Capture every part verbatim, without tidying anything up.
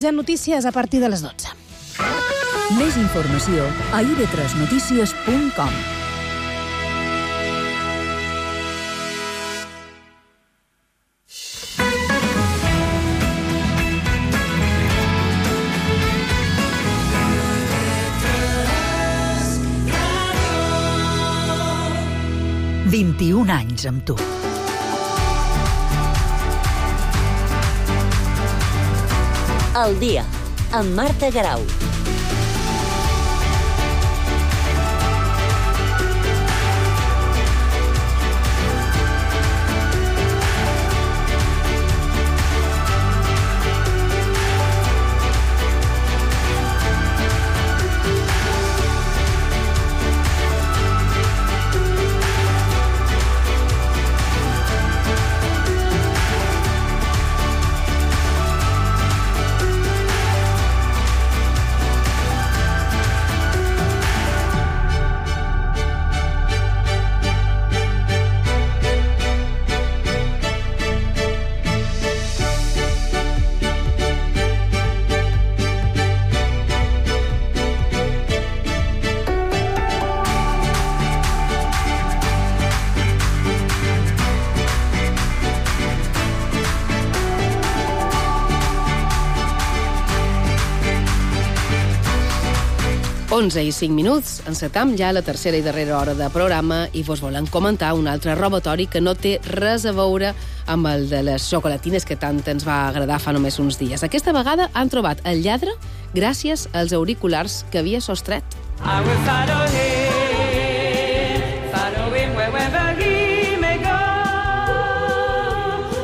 Ja notícies a partir de les dotze. Més informació a i ve tres notícies punt com. vint-i-un anys amb tu. El dia, amb Marta Garau. onze i cinc minuts, encetam ja la tercera i darrera hora de programa i vos volem comentar un altre robatori que no té res a veure amb el de les xocolatines que tant ens va agradar fa només uns dies. Aquesta vegada han trobat el lladre gràcies als auriculars que havia sostret. I will follow him, follow him wherever he may go.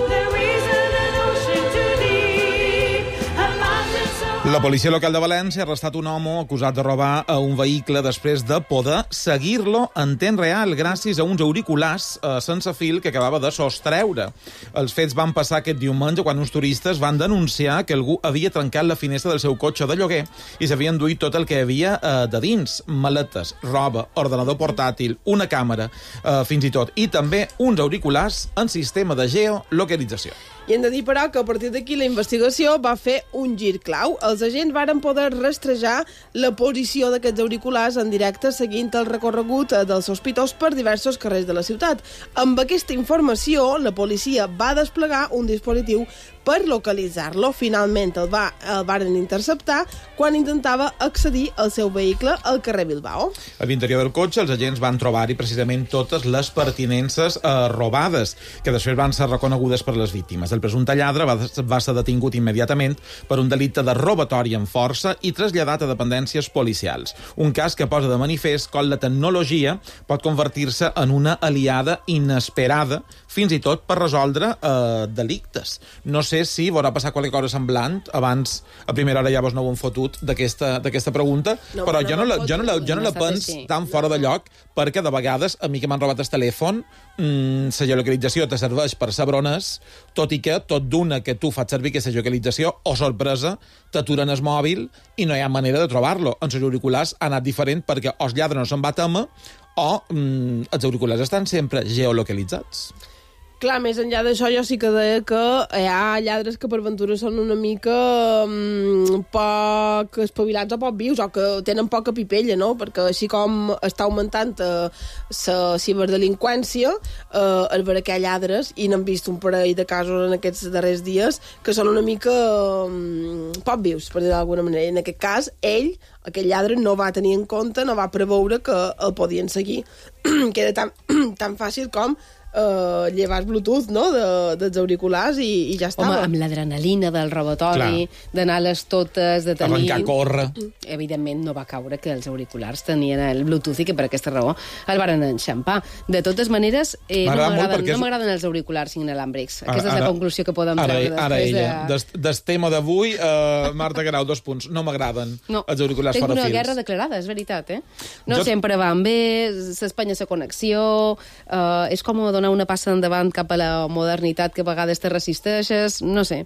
There is an ocean too deep, a mountain so... La policia local de València ha arrestat un home acusat de robar a un vehicle després de poder seguir-lo en temps real gràcies a uns auriculars eh, sense fil que acabava de sostreure. Els fets van passar aquest diumenge quan uns turistes van denunciar que algú havia trencat la finestra del seu cotxe de lloguer i s'havien duit tot el que hi havia eh, de dins, maletes, roba, ordenador portàtil, una càmera, eh, fins i tot, i també uns auriculars en sistema de geolocalització. I hem de dir, però, que a partir d'aquí la investigació va fer un gir clau. Els agents varen poder rastrejar la posició d'aquests auriculars en directe seguint el recorregut dels sospitós per diversos carrers de la ciutat. Amb aquesta informació, la policia va desplegar un dispositiu per localitzar-lo. Finalment el, va, el varen interceptar quan intentava accedir al seu vehicle al carrer Bilbao. A l'interior del cotxe, els agents van trobar-hi precisament totes les pertinences eh, robades, que després van ser reconegudes per les víctimes. El presumpte lladre va, va ser detingut immediatament per un delicte de robatori amb força i traslladat a dependències policials. Un cas que posa de manifest com la tecnologia pot convertir-se en una aliada inesperada, fins i tot per resoldre eh, delictes. No sé si haurà passat qualque cosa semblant. Abans, a primera hora ja vos no ho hem fotut d'aquesta pregunta, no, però no jo no la, jo no la, jo no la pens tan fora de lloc, perquè de vegades, a mi que m'han robat el telèfon, mmm, la geolocalització te serveix per saber on és, tot i que tot d'una que tu fas servir aquesta geolocalització, o sorpresa, t'aturen el mòbil i no hi ha manera de trobar-lo. En els auriculars ha anat diferent perquè o el lladre no se'n va tema o mmm, els auriculars estan sempre geolocalitzats. Clar, més enllà d'això, jo sí que deia que hi ha lladres que per ventura són una mica um, poc espavilats o poc vius, o que tenen poca pipella, no? Perquè així com està augmentant la uh, ciberdelinqüència, uh, el veure que hi ha lladres, i n'hem vist un parell de casos en aquests darrers dies, que són una mica um, poc vius, per dir d'alguna manera. I en aquest cas, ell, aquell lladre, no va tenir en compte, no va preveure que el podien seguir. Que era tan, tan fàcil com Uh, llevar Bluetooth, no?, de, dels auriculars i, i ja estava. Home, amb l'adrenalina del robatori, d'anar a les totes, de tenir... Arrencar a córrer. Evidentment no va caure que els auriculars tenien el Bluetooth i que per aquesta raó el varen enxampar. De totes maneres, eh, no m'agraden és... els auriculars inalàmbrics. Aquesta ara, és la conclusió que podem treure després ara ella. de... Des, des tema d'avui, uh, Marta Garau, dos punts. No m'agraden no. els auriculars fora fils. Tinc una guerra declarada, és veritat, eh? No jo... sempre van bé, s'espanya la connexió, uh, és com donar donar una passa endavant cap a la modernitat que a vegades te resisteixes, no sé.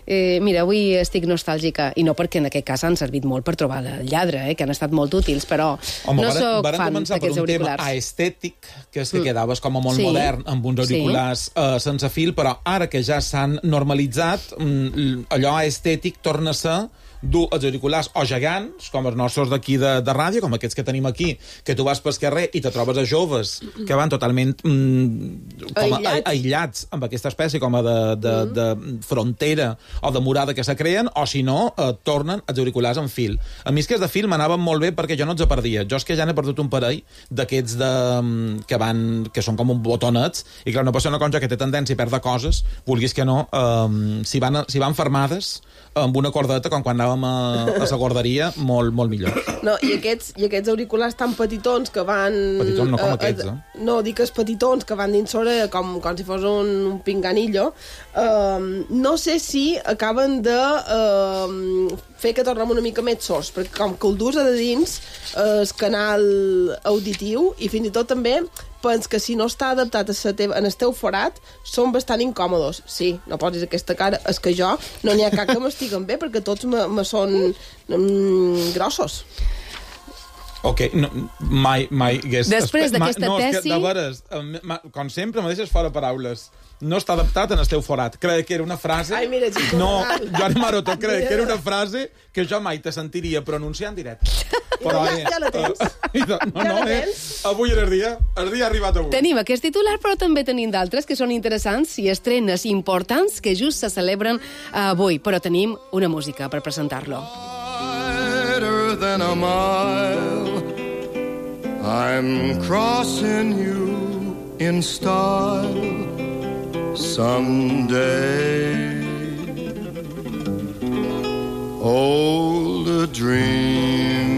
Eh, mira, avui estic nostàlgica, i no perquè en aquest cas han servit molt per trobar el lladre, eh, que han estat molt útils, però Home, no varen, sóc varen fan començar per d'aquests un tema auriculars. aestètic, que és que Mm. quedaves com a molt Sí. modern, amb uns auriculars Sí. eh, sense fil, però ara que ja s'han normalitzat, mm, allò aestètic torna a ser dur els auriculars o gegants, com els nostres d'aquí de, de ràdio, com aquests que tenim aquí, que tu vas pel carrer i te trobes a joves que van totalment mm, com a, Aïllats. aïllats amb aquesta espècie com a de, de, mm. de frontera o de murada que se creen, o si no, eh, tornen els auriculars en fil. A mi és que els de fil m'anaven molt bé perquè jo no els en perdia. Jo és que ja n'he perdut un parell d'aquests de, que, van, que són com un botonets, i clar, una persona com jo que té tendència a perdre coses, vulguis que no, eh, si, van, si van fermades amb una cordeta, com quan anàvem a, a la guarderia, molt, molt millor. No, i aquests, i aquests auriculars tan petitons que van... Petitons no com eh, aquests, eh? eh? No, dic els petitons que van dins l'orella com, com si fos un, un pinganillo. Uh, no sé si acaben de uh, fer que tornem una mica més sords, perquè com que el dus a de dins uh, el canal auditiu, i fins i tot també pens que si no està adaptat a sa teva, en el teu forat, són bastant incòmodos. Sí, no posis aquesta cara, és que jo no n'hi ha cap que m'estiguen bé, perquè tots me, me són mm, grossos. Ok, no, mai, mai... Hagués, Després espe- d'aquesta no, és tesi- que, de veres, em- ma- com sempre, me deixes fora paraules. No està adaptat en el teu forat. Creia que era una frase... Ai, mira, Chico No, Nadal. Joan Maroto, creia que era una frase que jo mai te sentiria pronunciar en directe. Ja- ja la tens. eh, no, Ja no, la eh? tens. Avui era el dia, el dia ha arribat avui. Tenim aquest titular, però també tenim d'altres que són interessants i estrenes importants que just se celebren avui. Però tenim una música per presentar-lo. Wider than a mile, I'm crossing you in style someday. Old a dream.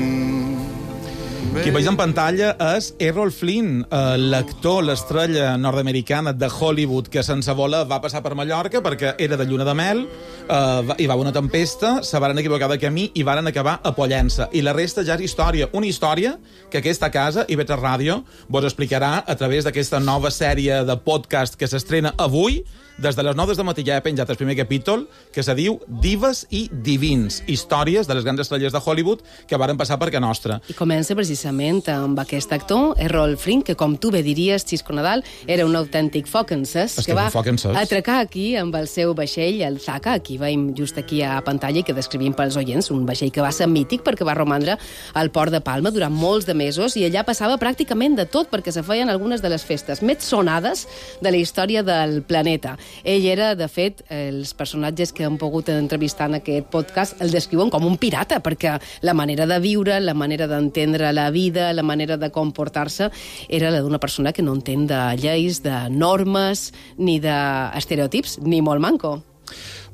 Qui veig en pantalla és Errol Flynn, eh, l'actor, l'estrella nord-americana de Hollywood que sense voler va passar per Mallorca perquè era de lluna de mel, eh, va- hi va haver una tempesta, se varen equivocar de camí i varen acabar a Pollença. I la resta ja és història. Una història que aquesta casa, I V tres Ràdio, vos explicarà a través d'aquesta nova sèrie de podcast que s'estrena avui. Des de les nou del matí ja he penjat el primer capítol, que se diu Dives i Divins, històries de les grans estrelles de Hollywood que varen passar per Can Nostra. I comença precisament amb aquest actor, Errol Flynn, que com tu bé diries, Xisco Nadal, era un autèntic foc encès, És que que és un va foc encès. atracar aquí amb el seu vaixell, el Zaka, aquí veiem just aquí a pantalla, i que descrivim pels oients, un vaixell que va ser mític perquè va romandre al port de Palma durant molts de mesos, i allà passava pràcticament de tot, perquè se feien algunes de les festes més sonades de la història del planeta. Ell era, de fet, els personatges que han pogut entrevistar en aquest podcast el descriuen com un pirata, perquè la manera de viure, la manera d'entendre la vida, la manera de comportar-se, era la d'una persona que no entén de lleis, de normes, ni d'estereotips, ni molt manco.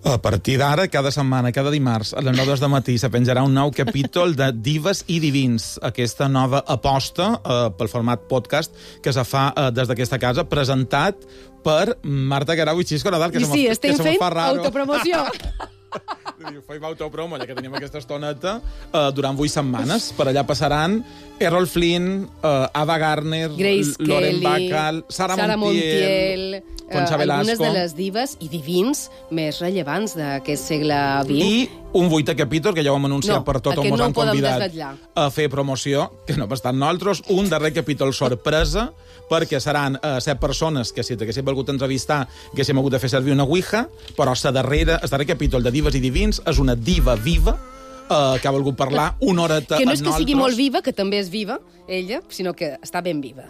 A partir d'ara, cada setmana, cada dimarts, a les nou de matí, se penjarà un nou capítol de Dives i Divins, aquesta nova aposta eh, pel format podcast que se fa eh, des d'aquesta casa, presentat per Marta Guerau i Xisco Nadal, que I se sí, me, estem que se me fent fa raro. autopromoció. Fem autopromo, ja que tenim aquesta estoneta, eh, durant vuit setmanes. Per allà passaran Errol Flynn, eh, Ava Gardner, Grace Lauren Kelly, Bacall, Sara, Sara Montiel, Montiel, Concha eh, algunes Velasco. de les dives i divins més rellevants d'aquest segle vint. I un vuitè capítol, que ja ho hem anunciat No, per tot, on aquest mos no han ho podem convidat desvetllar. a fer promoció, que no bastant nosaltres, un darrer capítol sorpresa, perquè seran eh, set persones que, si t'haguéssim volgut entrevistar, haguéssim hagut de fer servir una ouija, però la darrera, el darrer capítol de Dives i Divins és una diva viva eh, que ha volgut parlar una horeta Que no és amb que sigui nosaltres. molt viva, que també és viva, ella, sinó que està ben viva.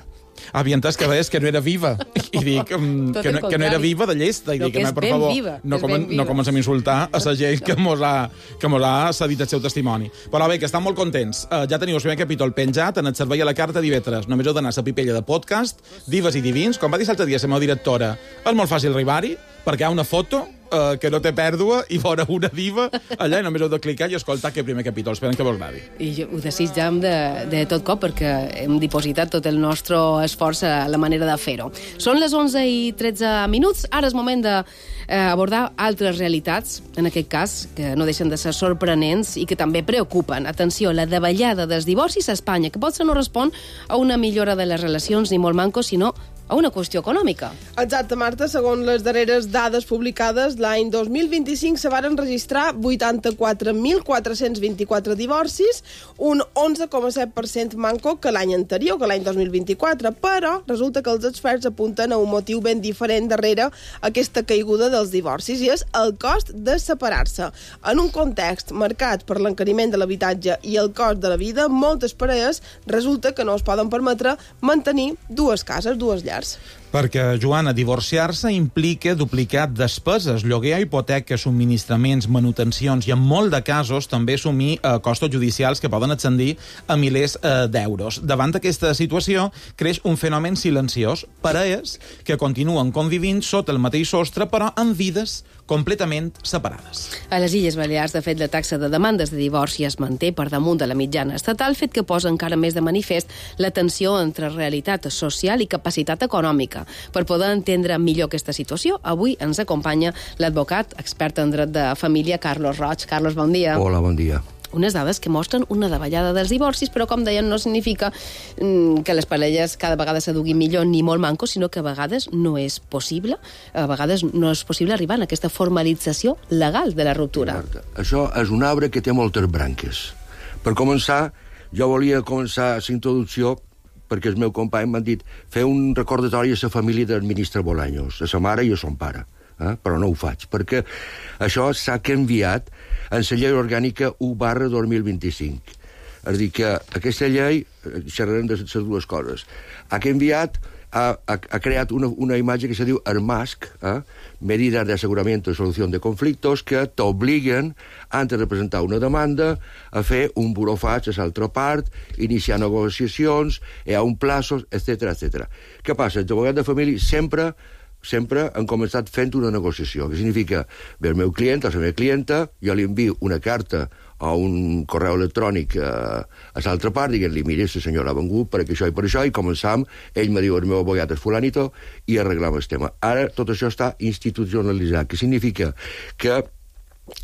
Havia entès que deies que no era viva. I dic mm, Tot que, el no, que no era contrari. viva de llesta. I No, dic, que és home, per ben favor, viva, no, és comen, ben viva. no comencem a insultar a la gent que mos ha, que mos ha cedit el seu testimoni. Però bé, que estan molt contents. Uh, ja teniu el primer capítol penjat en el servei a la carta d'I V tres. Només heu d'anar a la pipella de podcast, Dives i Divins. Com va dir l'altre dia la meva directora, és molt fàcil arribar-hi, perquè hi ha una foto uh, que no té pèrdua i veure una diva allà, i només heu de clicar i escoltar aquest primer capítol. Esperem que vos agradi. I jo ho desitjam de, de tot cop, perquè hem dipositat tot el nostre esforç a la manera de fer-ho. Són les onze i tretze minuts. Ara és moment d'abordar eh, altres realitats, en aquest cas, que no deixen de ser sorprenents i que també preocupen. Atenció, la davallada dels divorcis a Espanya, que potser no respon a una millora de les relacions ni molt manco, sinó a una qüestió econòmica. Exacte, Marta. Segons les darreres dades publicades, l'any dos mil vint-i-cinc se varen registrar vuitanta-quatre mil quatre-cents vint-i-quatre divorcis, un onze coma set per cent manco que l'any anterior, que l'any dos mil vint-i-quatre, però resulta que els experts apunten a un motiu ben diferent darrere aquesta caiguda dels divorcis, i és el cost de separar-se. En un context marcat per l'encariment de l'habitatge i el cost de la vida, moltes parelles resulta que no es poden permetre mantenir dues cases, dues llars. Perquè, Joana, divorciar-se implica duplicar despeses, lloguer, hipoteca, subministraments, manutencions i, en molt de casos, també assumir eh, costos judicials que poden ascendir a milers eh, d'euros. Davant d'aquesta situació, creix un fenomen silenciós. Parelles que continuen convivint sota el mateix sostre, però amb vides completament separades. A les Illes Balears, de fet, la taxa de demandes de divorci es manté per damunt de la mitjana estatal, fet que posa encara més de manifest la tensió entre realitat social i capacitat econòmica. Per poder entendre millor aquesta situació, avui ens acompanya l'advocat expert en dret de família, Carlos Roig. Carlos, bon dia. Hola, bon dia. Unes dades que mostren una davallada dels divorcis, però, com deien, no significa mm, que les parelles cada vegada s'aduguin millor ni molt manco, sinó que a vegades no és possible, a vegades no és possible arribar a aquesta formalització legal de la ruptura. Marta, això és un arbre que té moltes branques. Per començar, jo volia començar la introducció perquè el meu company m'han dit fer un recordatori a la família del ministre Bolaños, a sa mare i a son pare. Eh? Però no ho faig, perquè això s'ha canviat en la llei orgànica u barra dos mil vint-i-cinc. És a dir, que aquesta llei, xerrarem de les dues coses, ha canviat, ha, ha, ha creat una, una imatge que se diu ERMASC, eh? Medidas de Aseguramiento y Solución de Conflictos, que t'obliguen, antes de presentar una demanda, a fer un burofaig a l'altra part, iniciar negociacions, hi ha un plaços, etcètera, etcètera. Què passa? Els advocats de família sempre sempre han començat fent una negociació, que significa, ve el meu client, la meva clienta, jo li envio una carta o un correu electrònic a, a l'altra part, dient-li, mira, la senyora ha vengut per això i per això, i començam, ell me diu, el meu abogat és fulanito, i arreglam el tema. Ara tot això està institucionalitzat, que significa que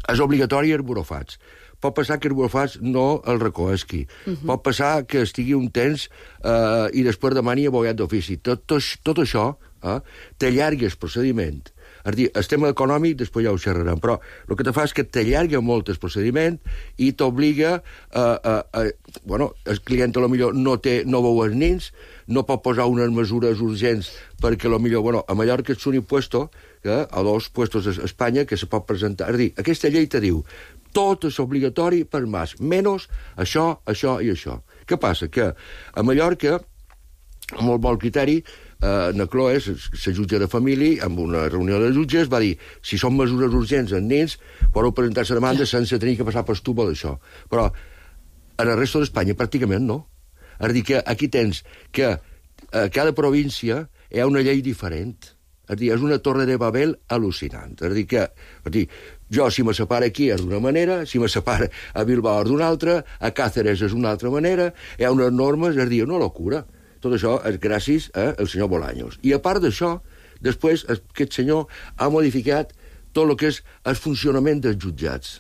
és obligatori el burofaig. Pot passar que el burofaig no el recoesqui. Uh-huh. Pot passar que estigui un temps eh, i després demani abogat d'ofici. Tot, tot, tot això eh, t'allarga el procediment. És a dir, el tema econòmic després ja ho xerrarem, però el que te fa és que t'allarga molt el procediment i t'obliga a... a, a bueno, el client a lo millor no, té, no veu els nins, no pot posar unes mesures urgents perquè a lo millor, bueno, a Mallorca és un impuesto, eh, a dos puestos a Espanya que se pot presentar. És a dir, aquesta llei te diu tot és obligatori per mas, menys això, això i això. Què passa? Que a Mallorca, amb molt bon criteri, eh, Nacloes, la jutge de família, amb una reunió de jutges, va dir si són mesures urgents en nens, podeu presentar la demanda sense tenir que passar per estubo d'això. Però en el resto d'Espanya pràcticament no. És a dir, que aquí tens que a cada província hi ha una llei diferent. És a dir, és una torre de Babel al·lucinant. És a dir, que... És a dir, jo, si me separa aquí, és d'una manera, si me separa a Bilbao és d'una altra, a Càceres és d'una altra manera, hi ha unes normes, és a dir, una locura. Tot això és gràcies al senyor Bolaños. I a part d'això, després aquest senyor ha modificat tot el que és el funcionament dels jutjats.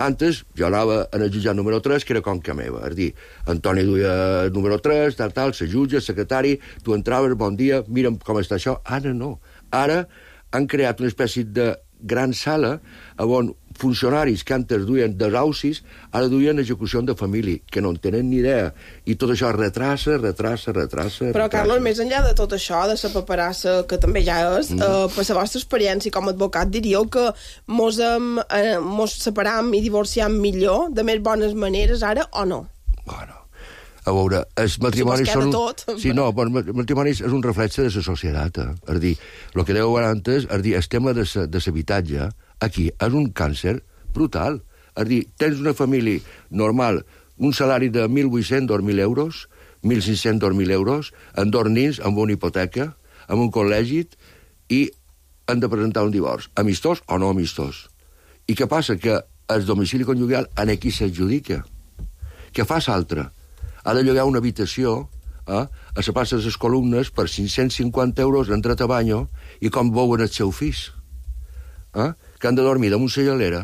Antes, jo anava en el jutjat número tres, que era com que meva. És a dir, Antoni duia el número tres, tal, tal, la jutge, el secretari, tu entraves, bon dia, mira'm com està això. Ara no. Ara han creat una espècie de gran sala on funcionaris que antes duien desaucis ara duien execució de família, que no en tenen ni idea. I tot això retrassa, retrassa, retrassa... Però, retrassa. Carlos, més enllà de tot això, de la paperassa, que també ja és, mm. eh, per la vostra experiència com a advocat, diríeu que mos, hem, eh, mos separam i divorciam millor, de més bones maneres, ara, o no? Bueno, a veure, els matrimonis són... Tot. Sí, no, però el matrimoni és un reflex de la societat. Eh? És a dir, el que dèieu antes, és dir, el tema de l'habitatge, aquí, és un càncer brutal. És a dir, tens una família normal, un salari de mil vuit-cents, dos mil euros, mil cinc-cents, dos mil euros, amb dos nins, amb una hipoteca, amb un col·legi, i han de presentar un divorci. Amistós o no amistós? I què passa? Que el domicili conjugal en aquí s'adjudica. Què fa l'altre? Ha de llogar una habitació eh, a la plaça de les columnes per cinc-cents cinquanta euros entrat a banyo i com veuen els seus fills. Eh? Que han de dormir damunt la gelera.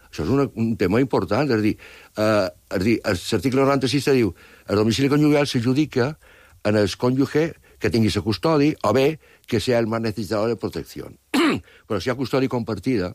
Això és una, un tema important. És a dir, eh, és a dir l'article noranta-sis diu el domicili conjugal s'adjudica en el cònjuge que tingui la custòdia, o bé que sea el más necesitado de protecció. Però si hi ha custòdia compartida,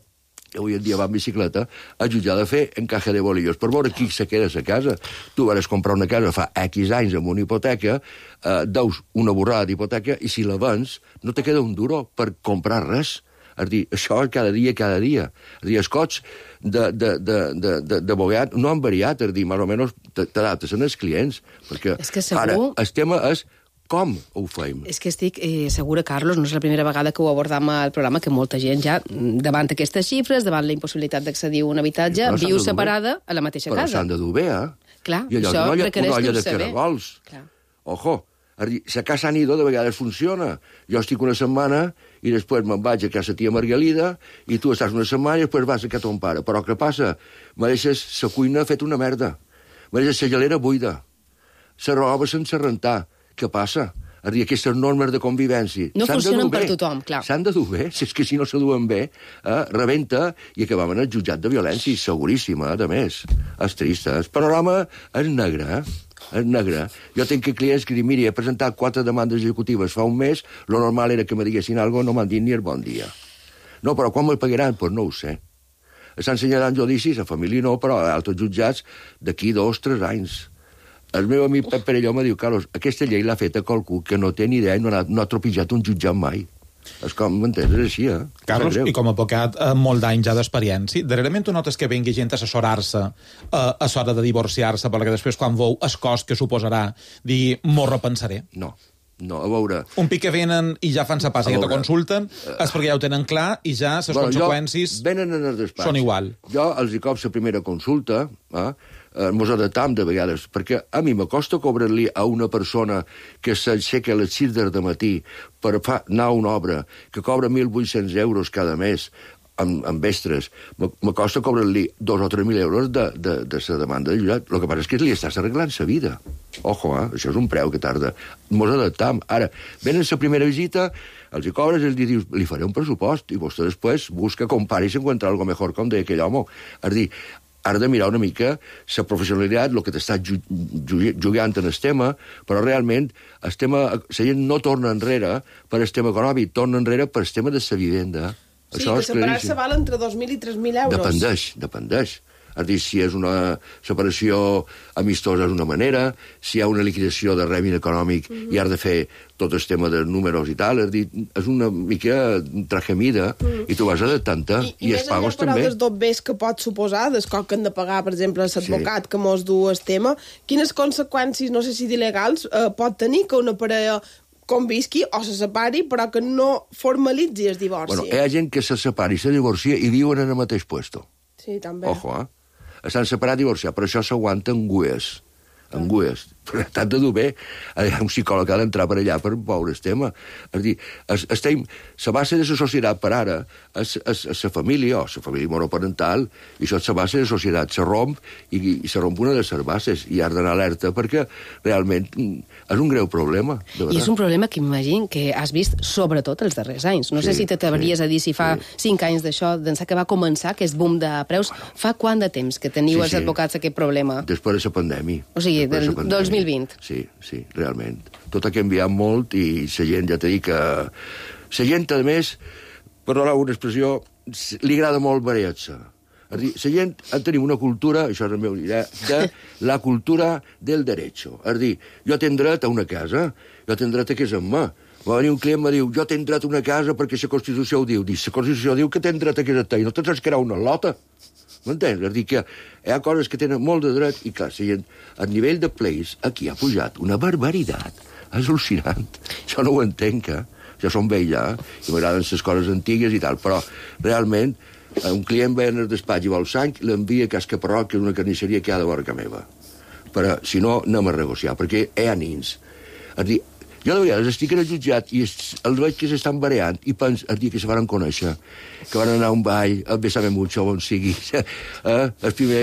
que avui en dia va en bicicleta, el jutge ha de fer encaje de bolillos per veure qui se queda a la casa. Tu vas comprar una casa fa X anys amb una hipoteca, eh, deus una borrada d'hipoteca, i si la vens, no te queda un duro per comprar res. És dir, això cada dia, cada dia. És dir, els cots d'abogat no han variat, és dir, més o menys t'adaptes als clients, perquè és que segur... ara el tema és com ho fem. És que estic eh, segura, Carlos, no és la primera vegada que ho abordam al programa, que molta gent ja, davant aquestes xifres, davant la impossibilitat d'accedir a un habitatge, Però viu separada a la mateixa Però casa. Però s'han de dur bé, eh? Clar, I allò, això una olla, requereix una olla de saber. caragols. Clar. Ojo, és dir, la casa anido de vegades funciona. Jo estic una setmana i després me'n vaig a casa tia Margalida i tu estàs una setmana i després vas a casa ton pare. Però què passa? Me deixes la cuina fet una merda. Me deixes la gelera buida. La roba sense rentar. Què passa? És dir, aquestes normes de convivència... No funcionen per tothom, clar. S'han de dur bé, si és que si no se duen bé, eh, rebenta i acabam en el jutjat de violència, seguríssima, a més. És trist, eh? El panorama és negre, eh? És negre. Jo tinc clients que diuen, mira, he presentat quatre demandes executives fa un mes, lo normal era que me diguessin alguna cosa, no m'han dit ni el bon dia. No, però quan me pagaran? Doncs pues no ho sé. Estan assenyalant judicis, a família no, però a altres jutjats d'aquí dos, tres anys. El meu amic Pep Perelló me diu, Carlos, aquesta llei l'ha fet a qualcú que no té ni idea i no ha, no ha tropitjat un jutjat mai. És com, m'entens? És així, eh? Carlos, i com a advocat, eh, molt d'anys ja d'experiència, darrerament tu notes que vengui gent a assessorar-se eh, a l'hora de divorciar-se, perquè després, quan veu el cost que suposarà, dir, m'ho repensaré? No. No, a veure... Un pic que venen i ja fan sa passa i te consulten, és perquè ja ho tenen clar i ja les bueno, conseqüències venen en el despatx. Són igual. Jo els hi cop la primera consulta, eh, mos adaptam de vegades, perquè a mi m'acosta cobrar-li a una persona que s'aixeca a les sis del matí per fa, anar a una obra, que cobra mil vuit-cents euros cada mes, amb, amb vestres, m'acosta cobrar-li dos o tres mil euros de, de, de la demanda de jutjat. El que passa és que li estàs arreglant la vida. Ojo, eh? Això és un preu que tarda. Mos adaptam. Ara, venen la primera visita, els hi cobres i els dius, li faré un pressupost, i vostè després busca, compara i s'encuentra algo mejor, com deia aquell home. És dir, has de mirar una mica la professionalitat, el que t'estàs ju ju jugant en el tema, però realment el tema, la gent no torna enrere per el tema econòmic, torna enrere per el tema de la vivenda. Sí, Això que separar-se val entre dos mil i tres mil euros. Dependeix, dependeix. És dir, si és una separació amistosa és una manera, si hi ha una liquidació de règim econòmic mm -hmm. i has de fer tot el tema de números i tal, és dir, és una mica trajemida mm -hmm. i tu vas adaptant-te i, i, i els pagos també. I més enllà, però, dels dobbers que pot suposar, des que han de pagar, per exemple, l'advocat sí. que mos du el tema, quines conseqüències, no sé si il·legals, eh, pot tenir que una parella convisqui o se separi, però que no formalitzi el divorci. Bueno, hi ha gent que se separa i se divorcia i viuen en el mateix puesto. Sí, també. Ojo, eh? Estan separats i divorciats, però això s'aguanta en gues. En gues. Però t'has de dur bé. Un psicòleg ha d'entrar per allà per veure el tema. És dir, es, estem, la base de la societat per ara és la família, o la família monoparental, i això és la base de la societat. Se romp i, i se romp una de les bases, i has d'anar alerta perquè realment és un greu problema. I és un problema que m'imagino que has vist sobretot els darrers anys. No sí, sé si t'atreviries sí, a dir si fa sí. cinc anys d'això, d'ençà que va començar aquest boom de preus. Fa quant de temps que teniu sí, els advocats sí. aquest problema? Després de la pandèmia. O sigui, del dos mil vint. Sí, sí, realment. Tot ha canviat molt i la gent, ja t'he dit que... La gent, a més, per donar una expressió, li agrada molt variar-se. És dir, la gent tenim una cultura, això és el meu idea, de la cultura del derecho. És dir, jo tinc dret a una casa, jo tinc dret a casar-me. Va venir un client i em diu, jo tinc dret a una casa perquè la Constitució ho diu. Dic, la Constitució diu que tinc dret a casar-te i no te'n saps crear una lota. M'entens? És dir, que hi ha coses que tenen molt de dret i, clar, a nivell de pleis, aquí ha pujat una barbaritat. És al·lucinant. Jo no ho entenc, eh? Jo som vell, ja, i m'agraden les coses antigues i tal, però realment un client ve en el despatx i vol sang, l'envia a Cas Caparrot, que és una carnisseria que hi ha de vora que meva. Però, si no, anem a negociar, perquè hi ha nins. És dir, jo de vegades estic en el jutjat i els veig que s'estan bareant i penso el dia que se van conèixer, que van anar a un ball, el Bésame Mucho, on sigui, eh? el primer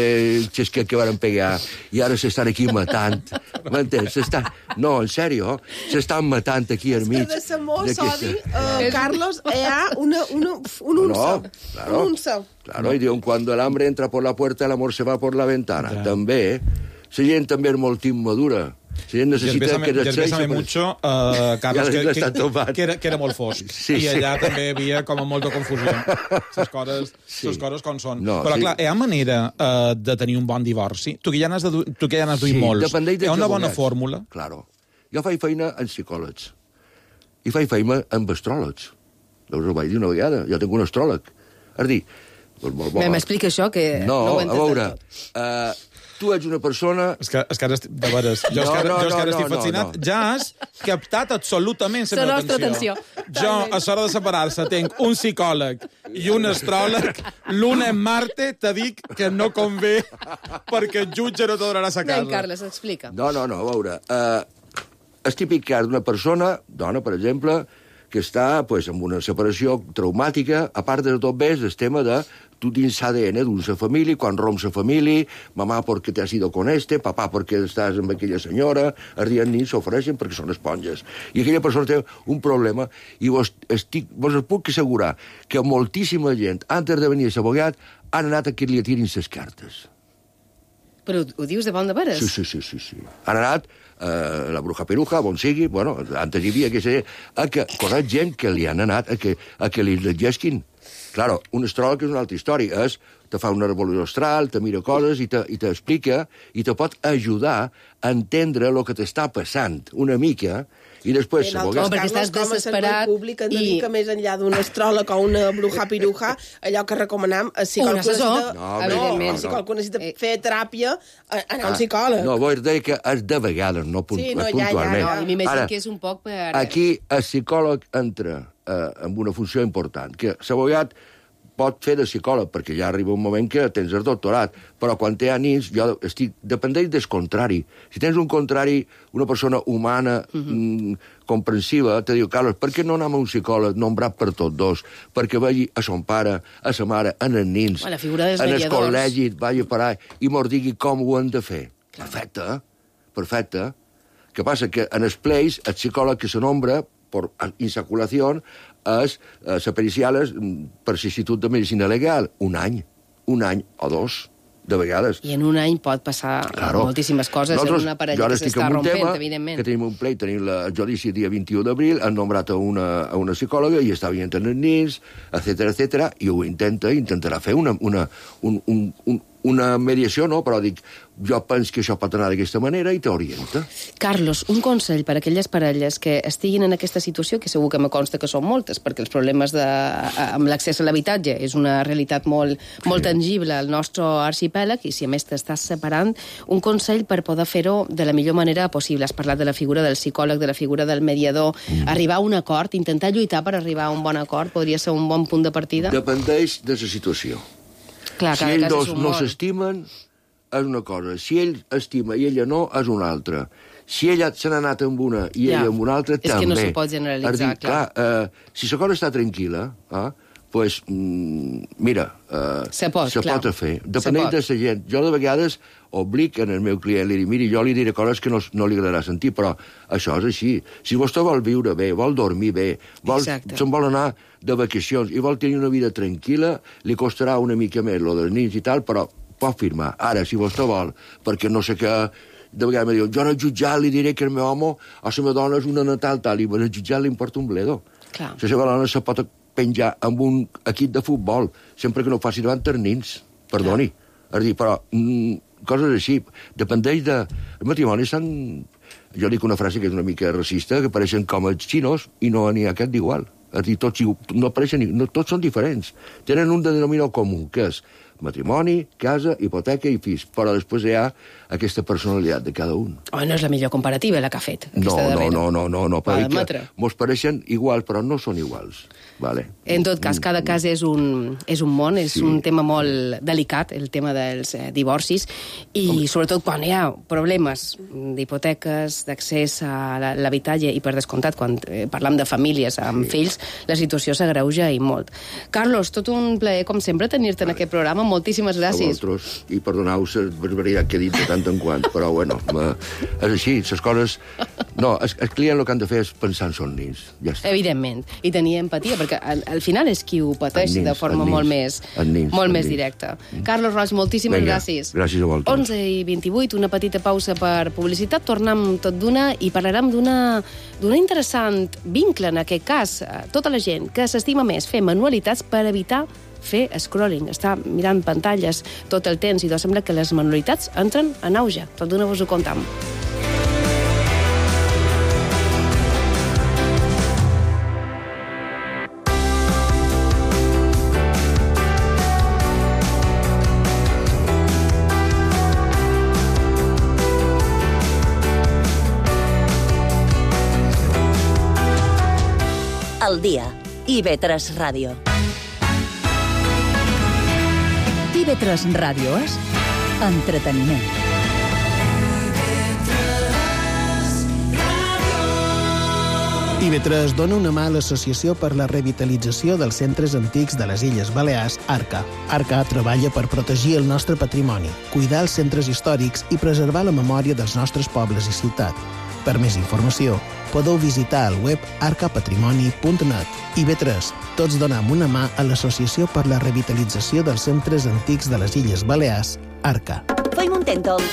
xesquet que van pegar, i ara s'estan aquí matant. M'entens? No, en sèrio, s'estan matant aquí al mig. És que de l'amor, Sodi, uh, Carlos, hi ha una, una, un unça. No, claro, un unça. Claro, i diuen, cuando el hambre entra por la puerta, el amor se va por la ventana. També, la gent també és molt immadura. La gent necessita que despeja despeja mucho, uh, Carlos, Ja que, està que, topat. que, era, que era molt fosc. Sí, I sí. allà també hi havia com a molta confusió. Les coses, Sí. les coses com són. No, Però, sí. clar, hi ha manera uh, de tenir un bon divorci? Tu que ja n'has de du- tu que ja n'has duit Sí, molts. dependeix Hi ha dels una bona abogats. fórmula? Claro. Jo faig feina en psicòlegs. I faig feina amb astròlegs. Us ho vaig dir una vegada. Jo tinc un astròleg. És dir, doncs molt bo. M'explica això, que no, No, ho a entès veure, del tot. uh, tu ets una persona... És que, és que ara estic, de veres, jo, No, és que ara, no, jo és que ara no, estic no, fascinat. no. Ja has captat absolutament la La meva nostra atenció. atenció. Jo, a l'hora de separar-se, tinc un psicòleg i un astròleg. L'un en Marte, te dic que no convé perquè el jutge no te donarà sa casa. Nen, Carles, explica. No, no, no, a veure... Uh, és típic cas d'una persona, dona, per exemple, que està pues, amb una separació traumàtica, a part de tot bé, és el tema de tu dins l'A D N d'una família, quan romps la família, mamà perquè t'has ido con este, papà perquè estàs amb aquella senyora, els dies nits s'ofereixen perquè són esponges. I aquella persona té un problema i vos, estic, vos us puc assegurar que moltíssima gent, antes de venir a l'abogat, han anat a que li tirin les cartes. Però ho dius de bon de veres? Sí, sí, sí, sí, sí. Han anat eh, la bruja peruja, on sigui, bueno, antes hi havia que ser, a que, conec gent que li han anat a que, a que li llegesquin. Claro, un astròleg és una altra història, és, te fa una revolució astral, te mira coses i te, i t'explica i te pot ajudar a entendre el que t'està passant una mica i després... En l'abogat- altres perquè casos, estàs com a desesperat servei públic, hem de i- dir que més enllà d'un astròleg o una bruja piruja, allò que recomanam, si Un qualcú assessor, necessita... No, evidentment. si qualcú necessita Eh. fer teràpia, a- anar a un Ah, psicòleg. No, vull dir que és de vegades, no, punt, Sí, no, ja, puntualment. ja, No, i m'imagino Ara, que és un poc per... aquí el psicòleg entra eh, amb una funció important, que l'abogat pot fer de psicòleg, perquè ja arriba un moment que tens el doctorat, però quan té nins, jo estic... Dependeix del contrari. Si tens un contrari, una persona humana, uh -huh. mm, comprensiva, te diu, Carlos, per què no anem a un psicòleg nombrat per tots dos? Perquè vagi a son pare, a sa mare, en els nins, La figura dels en el mediadors. col·legi, vagi per allà, i mos digui com ho hem de fer. Perfecte, eh? Perfecte. Que passa que en els pleis, el psicòleg que se nombra per insaculació és eh, la pericial és mm, per l'Institut de Medicina Legal. Un any, un any o dos, de vegades. I en un any pot passar Claro. moltíssimes coses Nosaltres, en una jo parella ara que estic s'està en un rompent, tema evidentment. Que tenim un pleit, tenim la- el judici el dia vint-i-u d'abril, han nombrat a una, a una psicòloga i està veient els nins, etcètera, etcètera, i ho intenta, intentarà fer una, una, un, un, un, una mediació, no? Però dic, jo penso que això pot anar d'aquesta manera i t'orienta. Carlos, un consell per a aquelles parelles que estiguin en aquesta situació, que segur que me consta que són moltes, perquè els problemes de, amb l'accés a l'habitatge és una realitat molt, molt tangible al nostre arxipèlag, i si a més t'estàs separant, un consell per poder fer-ho de la millor manera possible. Has parlat de la figura del psicòleg, de la figura del mediador, mm. arribar a un acord, intentar lluitar per arribar a un bon acord, podria ser un bon punt de partida? Dependeix de la situació. Clar, Si cada ells cas dos és un no món. s'estimen, és una cosa. Si ell estima i ella no, és una altra. Si ella se n'ha anat amb una i Ja. ella amb una altra, És que també. no s'ho pot generalitzar, És dir, clar. clar. Eh, si la cosa està tranquil·la, eh, pues, mm, mira, eh, Se pot, se clar. pot fer. Se Dependeix pot. de la gent. Jo de vegades oblic en el meu client, li dic, miri, jo li diré coses que no, no li agradarà sentir, però això és així. Si vostè vol viure bé, vol dormir bé, vol, Exacte. se'n vol anar de vacacions i vol tenir una vida tranquil·la, li costarà una mica més lo dels nins i tal, però pot firmar. Ara, si vostè vol, perquè no sé què, de vegades me diuen, jo al jutjat li diré que el meu home o la meva dona és una natal tal, i al jutjat li importa un bledo. Clar. La seva dona se pot penjar amb un equip de futbol, sempre que no ho faci davant els nins, perdoni. És a dir, però mm, coses així, dependeix de... Els matrimonis s'han... Jo dic una frase que és una mica racista, que pareixen com els xinos i no n'hi ha cap d'igual. És a dir, tots, igu- no apareixen, no, tots són diferents. Tenen un denominador comú, que és matrimoni, casa, hipoteca i fills, però després hi ha aquesta personalitat de cada un. Oh, no és la millor comparativa, la que ha fet, No, aquesta no, darrera. no, no, no, no, Va perquè admetre. mos pareixen iguals, però no són iguals. Vale. En tot cas, cada cas és un, és un món, és Sí. un tema molt delicat, el tema dels eh, divorcis, i sobretot quan hi ha problemes d'hipoteques, d'accés a la- l'habitatge, i per descomptat, quan eh, parlam de famílies amb sí. fills, la situació s'agreuja i molt. Carlos, tot un plaer, com sempre, tenir-te en aquest programa. Moltíssimes A gràcies. vosaltres, i perdoneu la barbaritat que he dit de tant en quant, però bueno, ma, és així, les coses No, el, el client el que han de fer és pensar en son nins. Ja està. Evidentment. I tenir empatia, perquè al, al final és qui ho pateix nins, de forma nins, molt més, nins, molt més nins. directa. Mm. Carlos Roig, moltíssimes Vinga, gràcies. Gràcies a vosaltres. onze i vint-i-vuit, una petita pausa per publicitat. Tornem tot d'una i parlarem d'una d'una interessant vincle, en aquest cas. Tota la gent que s'estima més fer manualitats per evitar fer scrolling, estar mirant pantalles tot el temps, i doncs sembla que les manualitats entren en auge. Tot d'una vos ho contam. El dia. I ve tres Ràdio. I ve tres Ràdio és entreteniment. I ve tres dona una mà a l'Associació per la Revitalització dels Centres Antics de les Illes Balears, ARCA. ARCA treballa per protegir el nostre patrimoni, cuidar els centres històrics i preservar la memòria dels nostres pobles i ciutat. Per més informació, podeu visitar el web arca patrimoni punt net. I ve tres, tots donem una mà a l'Associació per la Revitalització dels Centres Antics de les Illes Balears, ARCA. Feim un Tèntol.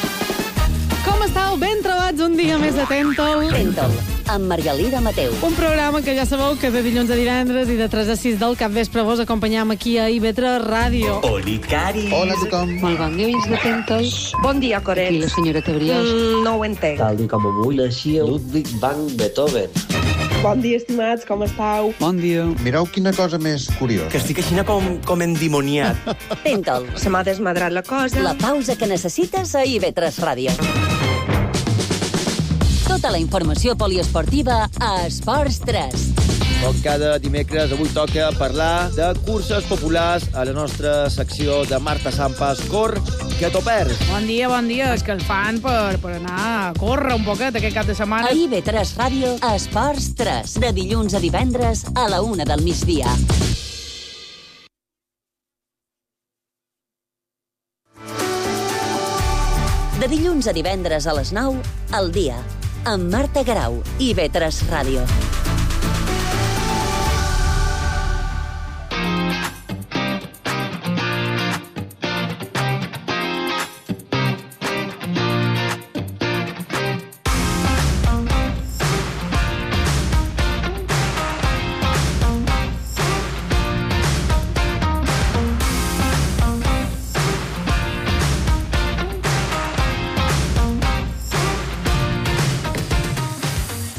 Com estàu? Ben trobats un dia més de Tèntol. Tèntol, amb Margalida Mateu. Un programa que ja sabeu que de dilluns a divendres i de tres a sis del capvespre vos acompanyam aquí a I V tres Ràdio. Oli, Cari. Hola a tothom. Molt bon dia, de Tèntol. Bon dia, Coret. I la senyora Brioche. Mm, no ho entenc. Tal com avui naixia Ludwig van Beethoven. Bon dia, estimats, com estàu? Bon dia. Mireu quina cosa més curiosa. Que estic així com, com endimoniat. Tèntol. Se m'ha desmadrat la cosa. La pausa que necessites a I V tres Ràdio. Tota la informació poliesportiva a Esports tres. Com cada dimecres, avui toca parlar de curses populars a la nostra secció de Marta Sampas. Cor, que t'ho perds. Bon dia, bon dia. És que el fan per, per anar a córrer un poquet aquest cap de setmana. A I V tres Ràdio, a Esports tres. De dilluns a divendres a la una del migdia. De dilluns a divendres a les nou, al dia, amb Marta Garau, I V tres Ràdio.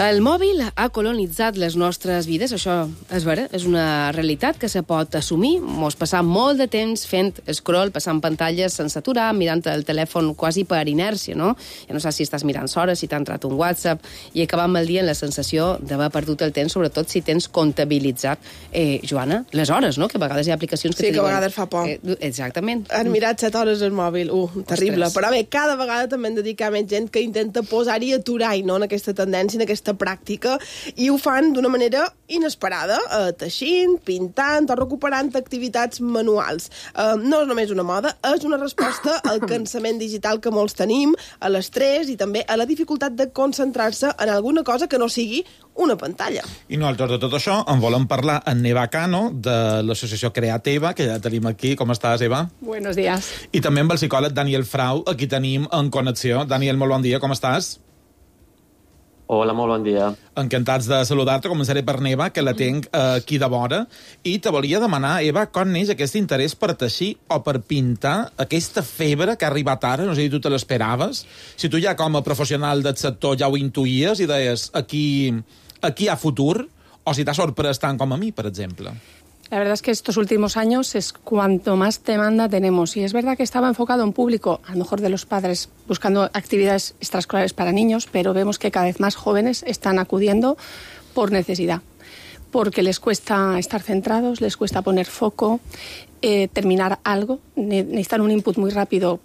El mòbil ha colonitzat les nostres vides, això és vera, és una realitat que se pot assumir. Mos passam molt de temps fent scroll, passant pantalles sense aturar, mirant el telèfon quasi per inèrcia, no? Ja no saps si estàs mirant hores, si t'ha entrat un WhatsApp, i acabam el dia amb la sensació d'haver perdut el temps, sobretot si tens comptabilitzat, eh, Joana, les hores, no? Que a vegades hi ha aplicacions que sí, te que diuen... a vegades fa por. Eh, exactament. Han mirat set hores al mòbil, uh, terrible. Ostres. Però bé, cada vegada també hem de dir que hi ha més gent que intenta posar-hi aturar i no en aquesta tendència, en aquesta pràctica, i ho fan d'una manera inesperada, eh, teixint, pintant o recuperant activitats manuals. Eh, no és només una moda, és una resposta al cansament digital que molts tenim, a l'estrès i també a la dificultat de concentrar-se en alguna cosa que no sigui una pantalla. I nosaltres de tot això en volem parlar amb Eva Cano, de l'associació Createva, que ja tenim aquí. Com estàs, Eva? Buenos días. I també amb el psicòleg Daniel Frau, aquí tenim en connexió. Daniel, molt bon dia, com estàs? Hola, molt bon dia. Encantats de saludar-te. Començaré per Eva, que la tinc eh, aquí de vora. I te volia demanar, Eva, com neix aquest interès per teixir o per pintar, aquesta febre que ha arribat ara? No sé si tu te l'esperaves. Si tu ja com a professional del sector ja ho intuïes i deies aquí, aquí hi ha futur, o si t'ha sorprès tant com a mi, per exemple. La verdad es que estos últimos años es cuanto más demanda tenemos. Y es verdad que estaba enfocado a un público, a lo mejor de los padres, buscando actividades extraescolares para niños, pero vemos que cada vez más jóvenes están acudiendo por necesidad. Porque les cuesta estar centrados, les cuesta poner foco, eh, terminar algo. Necesitan un input muy rápido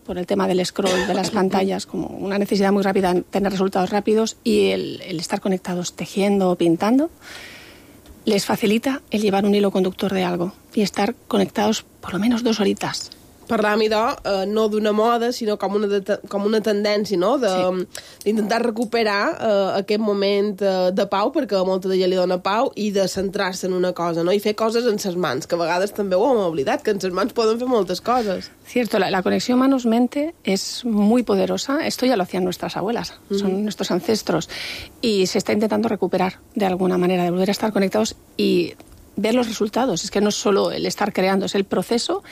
por el tema del scroll, de las pantallas, como una necesidad muy rápida de tener resultados rápidos, y el, el estar conectados tejiendo o pintando les facilita el llevar un hilo conductor de algo y estar conectados por lo menos dos horitas. parlàvem, idò, eh, no d'una moda, sinó com una, de, com una tendència, no?, d'intentar sí. recuperar eh, aquest moment eh, de pau, perquè a molta de gent li dona pau, i de centrar-se en una cosa, no?, i fer coses en ses mans, que a vegades també ho hem oblidat, que en ses mans poden fer moltes coses. Cierto, la, la conexión manos-mente es muy poderosa. Esto ya lo hacían nuestras abuelas, uh-huh. son nuestros ancestros, y se está intentando recuperar de alguna manera, de volver a estar conectados y ver los resultados. Es que no es solo el estar creando, es el proceso,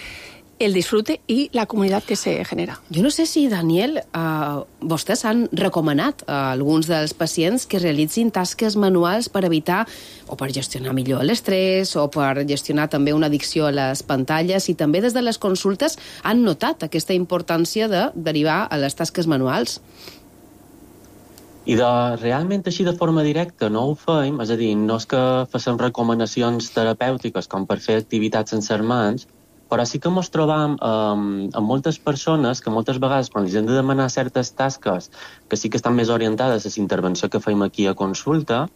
el disfrute i la comunitat que se genera. Jo no sé si, Daniel, eh, vostès han recomanat a alguns dels pacients que realitzin tasques manuals per evitar o per gestionar millor l'estrès o per gestionar també una addicció a les pantalles, i també des de les consultes han notat aquesta importància de derivar a les tasques manuals. I de, realment així de forma directa no ho fem, és a dir, no és que facem recomanacions terapèutiques com per fer activitats en ses mans, però sí que ens trobam um, amb moltes persones que moltes vegades quan els hem de demanar certes tasques que sí que estan més orientades a la intervenció que fem aquí a consulta,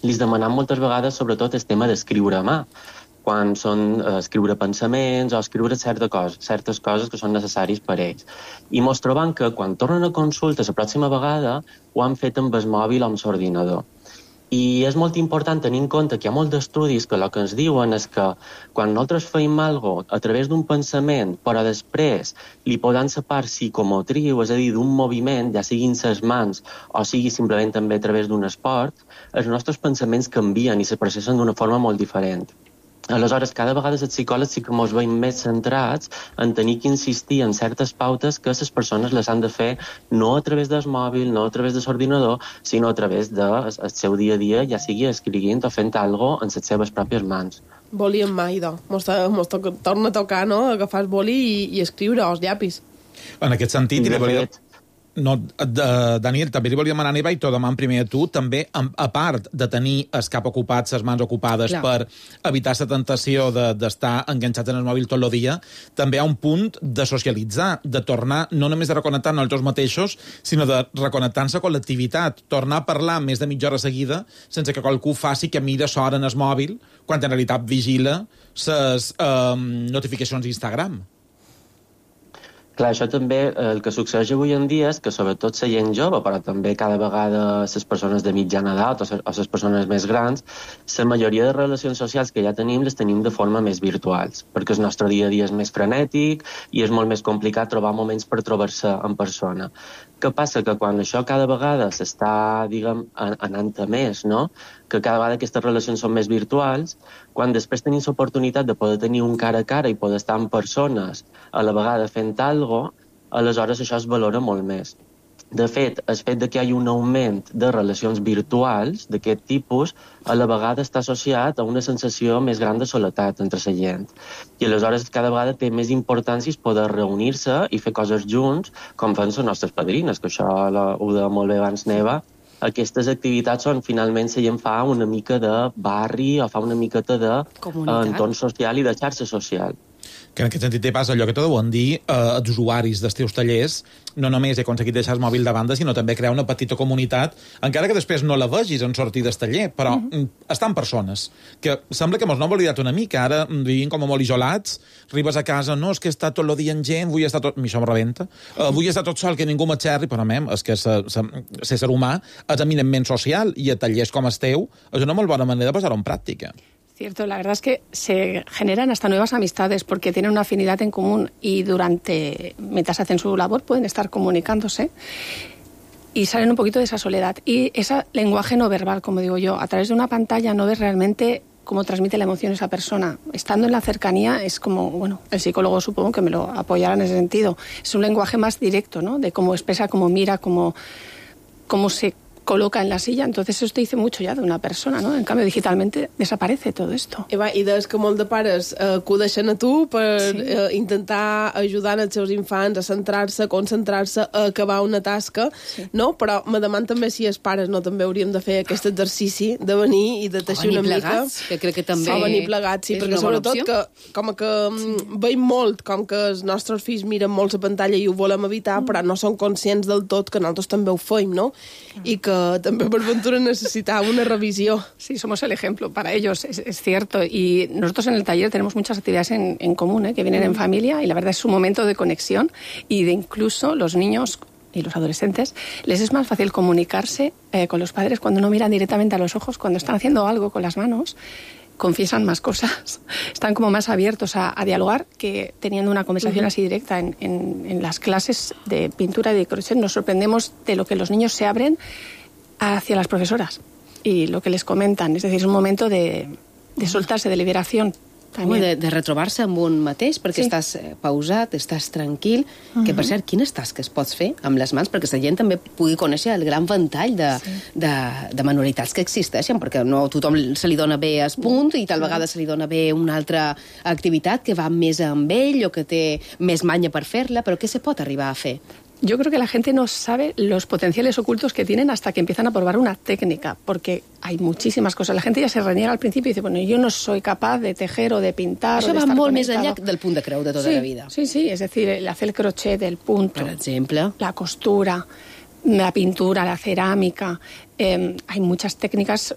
li demanem moltes vegades sobretot el tema d'escriure a mà, quan són eh, escriure pensaments o escriure certa cosa, certes coses que són necessàries per ells. I ens trobam que quan tornen a consulta la pròxima vegada ho han fet amb el mòbil o amb l'ordinador. I és molt important tenir en compte que hi ha molts d'estudis que el que ens diuen és que quan nosaltres feim alguna cosa a través d'un pensament, però després li podem la part psicomotriu, és a dir, d'un moviment, ja siguin ses mans o sigui simplement també a través d'un esport, els nostres pensaments canvien i se processen d'una forma molt diferent. Aleshores, cada vegada els psicòlegs sí que ens veiem més centrats en tenir que insistir en certes pautes que les persones les han de fer no a través del mòbil, no a través de l'ordinador, sinó a través del seu dia a dia, ja sigui escrivint o fent alguna cosa en les seves pròpies mans. Boli en mà, idò. Mos, mos to torna a tocar, no?, agafar el boli i, i escriure als llapis. En aquest sentit, i de fet... No, de, Daniel, també li volíem demanar, Eva, i t'ho deman primer a tu, també, a, a part de tenir el cap ocupat, les mans ocupades, clar, per evitar la tentació d'estar de, enganxats en el mòbil tot el dia, també hi ha un punt de socialitzar, de tornar, no només de reconnectar nosaltres mateixos, sinó de reconnectar-se a col·lectivitat, tornar a parlar més de mitja hora seguida, sense que qualcú faci que mira l'hora en el mòbil, quan en realitat vigila les eh, notificacions d'Instagram. Clar, això també, el que succeeix avui en dia és que sobretot la gent jove, però també cada vegada les persones de mitjana edat o les persones més grans, la majoria de relacions socials que ja tenim les tenim de forma més virtuals, perquè el nostre dia a dia és més frenètic i és molt més complicat trobar moments per trobar-se en persona. Què passa? Que quan això cada vegada s'està, diguem, anant a més, no?, que cada vegada aquestes relacions són més virtuals, quan després tenim l'oportunitat de poder tenir un cara a cara i poder estar amb persones a la vegada fent alguna cosa, aleshores això es valora molt més. De fet, el fet de que hi hagi un augment de relacions virtuals d'aquest tipus a la vegada està associat a una sensació més gran de soledat entre la gent. I aleshores cada vegada té més importància poder reunir-se i fer coses junts, com fan les nostres padrines, que això ho deia molt bé abans Neva. Aquestes activitats on finalment la gent fa una mica de barri o fa una miqueta d'entorn social i de xarxa social. Que en aquest sentit té pas allò que t'ho deuen dir eh, els usuaris dels teus tallers, no només he aconseguit deixar el mòbil de banda, sinó també crear una petita comunitat, encara que després no la vegis en sortir del taller, però uh-huh. estan persones, que sembla que mos no hem oblidat una mica, ara vivim com a molt isolats, arribes a casa, no, és que està tot el dia en gent, vull estar tot... A mi això em rebenta. Uh, vull estar tot sol, que ningú m'aixerri, però mem, és que l'ésser humà és eminentment social, i a tallers com el teu és una molt bona manera de posar-ho en pràctica. Cierto, la verdad es que se generan hasta nuevas amistades porque tienen una afinidad en común y durante, mientras hacen su labor, pueden estar comunicándose y salen un poquito de esa soledad. Y ese lenguaje no verbal, como digo yo, a través de una pantalla no ves realmente cómo transmite la emoción esa persona. Estando en la cercanía es como, bueno, el psicólogo supongo que me lo apoyará en ese sentido. Es un lenguaje más directo, ¿no?, de cómo expresa, cómo mira, cómo, cómo se coloca en la silla, entonces eso te dice mucho ya de una persona, ¿no? En cambio, digitalmente desaparece todo esto. Eva, i des que molts de pares eh, acudeixen a tu per sí. eh, intentar ajudar els seus infants a centrar-se, a concentrar-se, a acabar una tasca, sí. no? Però me deman també si els pares no també hauríem de fer aquest exercici de venir i de teixir una plegats, mica. que crec que també... O venir plegats, sí, perquè sobretot que, com que sí. veiem molt, com que els nostres fills miren molt la pantalla i ho volem evitar, mm. però no són conscients del tot que nosaltres també ho feim, no? Mm. I que també per ventura necessitava una revisió. Sí, somos el ejemplo para ellos, es, es cierto. Y nosotros en el taller tenemos muchas actividades en, en común, ¿eh? que vienen en familia, y la verdad es un momento de conexión y de incluso los niños y los adolescentes, les es más fácil comunicarse eh, con los padres cuando no miran directamente a los ojos, cuando están haciendo algo con las manos, confiesan más cosas, están como más abiertos a, a dialogar que teniendo una conversación uh-huh. así directa en, en, en las clases de pintura y de crochet. Nos sorprendemos de lo que los niños se abren hacia las profesoras y lo que les comentan. Es decir, es un momento de, de soltarse, de liberación. Home, de, de retrobar-se amb un mateix, perquè sí. estàs pausat, estàs tranquil, uh-huh. que per cert, quines tasques pots fer amb les mans perquè la gent també pugui conèixer el gran ventall de, sí. de, de manualitats que existeixen, perquè no tothom se li dona bé es punt i tal vegada se li dona bé una altra activitat que va més amb ell o que té més manya per fer-la, però què se pot arribar a fer? Yo creo que la gente no sabe los potenciales ocultos que tienen hasta que empiezan a probar una técnica, porque hay muchísimas cosas. La gente ya se reniega al principio y dice, bueno, yo no soy capaz de tejer o de pintar Això o de va estar molt conectado. més enllà del punt de creu de tota sí, la vida. Sí, sí, es decir, el hacer el crochet, el punto, por ejemplo, la costura, la pintura, la cerámica. Eh, hay muchas técnicas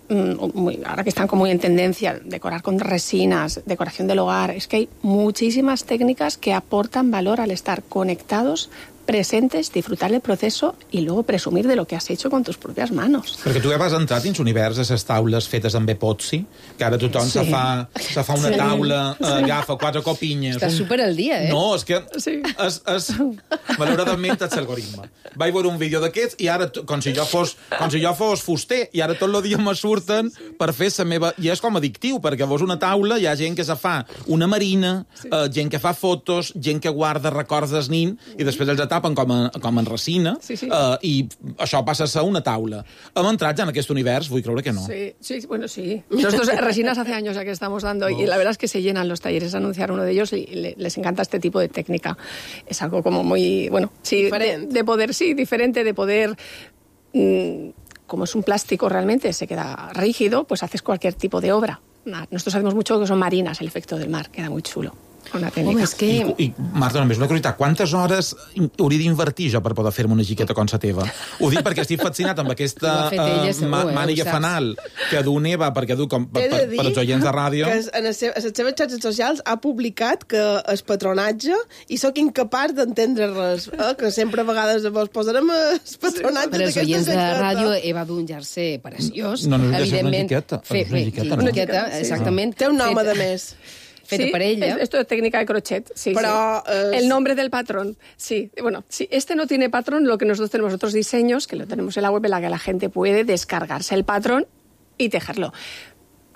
Muy, ahora que están como muy en tendencia, decorar con resinas, decoración del hogar, es que hay muchísimas técnicas que aportan valor al estar conectados, presentes, disfrutar del proceso y luego presumir de lo que has hecho con tus propias manos. Perquè tu ja vas entrar dins univers de les taules fetes amb epoxi, que ara tothom sí. se, fa, se fa una sí. taula, sí. agafa quatre copinyes... Estàs un... super al dia, eh? No, és que sí. és, és, malauradament és l'algoritme. Vaig veure un vídeo d'aquests i ara, com si jo fos, com si jo fos fuster, i ara tot el dia me surten per fer la meva... I és com addictiu, perquè veus una taula, hi ha gent que se fa una marina, sí. eh, gent que fa fotos, gent que guarda records del nin, i després els tapen com, a, com en resina, sí, sí. Uh, i això passa a ser una taula. Hem entrat ja en aquest univers? Vull creure que no. Sí, sí, bueno, sí. Nosotros resinas hace años ya que estamos dando, oh. y la verdad es que se llenan los talleres. Anunciar uno de ellos y le, les encanta este tipo de técnica. Es algo como muy, bueno, sí, de, de poder, sí, diferente, de poder... Mmm, como es un plástico realmente, se queda rígido, pues haces cualquier tipo de obra. Nosotros hacemos mucho que son marinas, el efecto del mar, queda muy chulo. Una tècnica. Home, és que... I, i Marta, només una curiositat, quantes hores hauria d'invertir jo per poder fer-me una jiqueta com la teva? Ho dic perquè estic fascinat amb aquesta uh, ma màniga fanal que du Neva, perquè du com per, per, per als oients de ràdio. Que en les seves xarxes socials ha publicat que és patronatge i sóc incapaç d'entendre res, eh? Que sempre a vegades vos posarem el patronatge per als oients de ràdio, eh, Eva du un jersei preciós. No, no, no, és una jiqueta. Fe, fe, jiqueta, una jiqueta, no? Exactament. Té un nom, a més. Feta sí, per ella. Es, esto es técnica de crochet, sí, Pero, sí. Uh, el nombre del patrón, sí. Bueno, si este no tiene patrón, lo que nosotros tenemos otros diseños, que lo tenemos en la web, en la que la gente puede descargarse el patrón y tejerlo.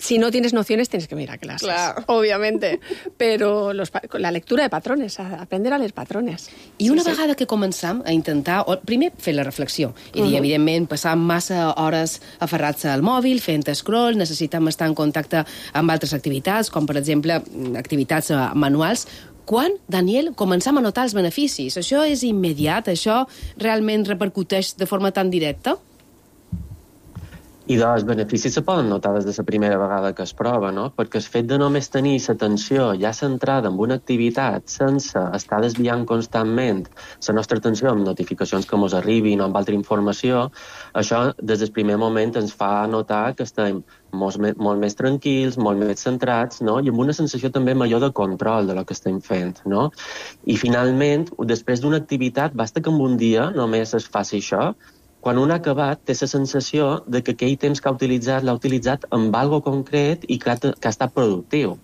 Si no tienes nociones, tienes que venir a clases, claro. Obviamente. Però los, la lectura de patrones, a aprender a leer patrones. I una sí, vegada sí. que començam a intentar, o, primer fer la reflexió, i dir, uh -huh. evidentment, passar massa hores aferrats al mòbil, fent scroll, necessitem estar en contacte amb altres activitats, com per exemple activitats manuals. Quan, Daniel, començam a notar els beneficis? Això és immediat? Això realment repercuteix de forma tan directa? I doncs, els beneficis se poden notar des de la primera vegada que es prova, no? Perquè el fet de només tenir l'atenció ja centrada en una activitat sense estar desviant constantment la nostra atenció amb notificacions que ens arribin o amb altra informació, això des del primer moment ens fa notar que estem molt, molt més tranquils, molt més centrats, no? I amb una sensació també major de control de lo que estem fent, no? I finalment, després d'una activitat, basta que en un dia només es faci això, quan un ha acabat, té la sensació de que aquell temps que ha utilitzat l'ha utilitzat amb algo concret i que ha, que ha estat productiu.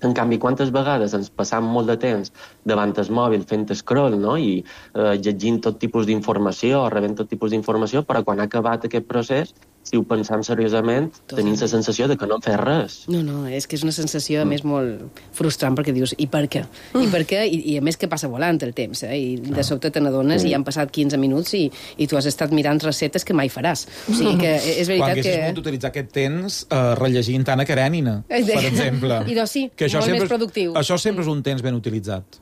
En canvi, quantes vegades ens passam molt de temps davant el mòbil fent scroll, no? I eh, llegint tot tipus d'informació o rebent tot tipus d'informació, però quan ha acabat aquest procés, si ho pensam seriosament, tenim la sensació de que no hem fet res. No, no, és que és una sensació, a més, molt frustrant, perquè dius, i per què? I per què? I, i a més que passa volant el temps, eh? I de sobte te n'adones i han passat quinze minuts i, i tu has estat mirant receptes que mai faràs. O sigui que és veritat que... Quan haguessis pogut utilitzar aquest temps eh, rellegint Anna Karenina, per exemple. I doncs sí, que molt sempre, més productiu. Això sempre és un temps ben utilitzat.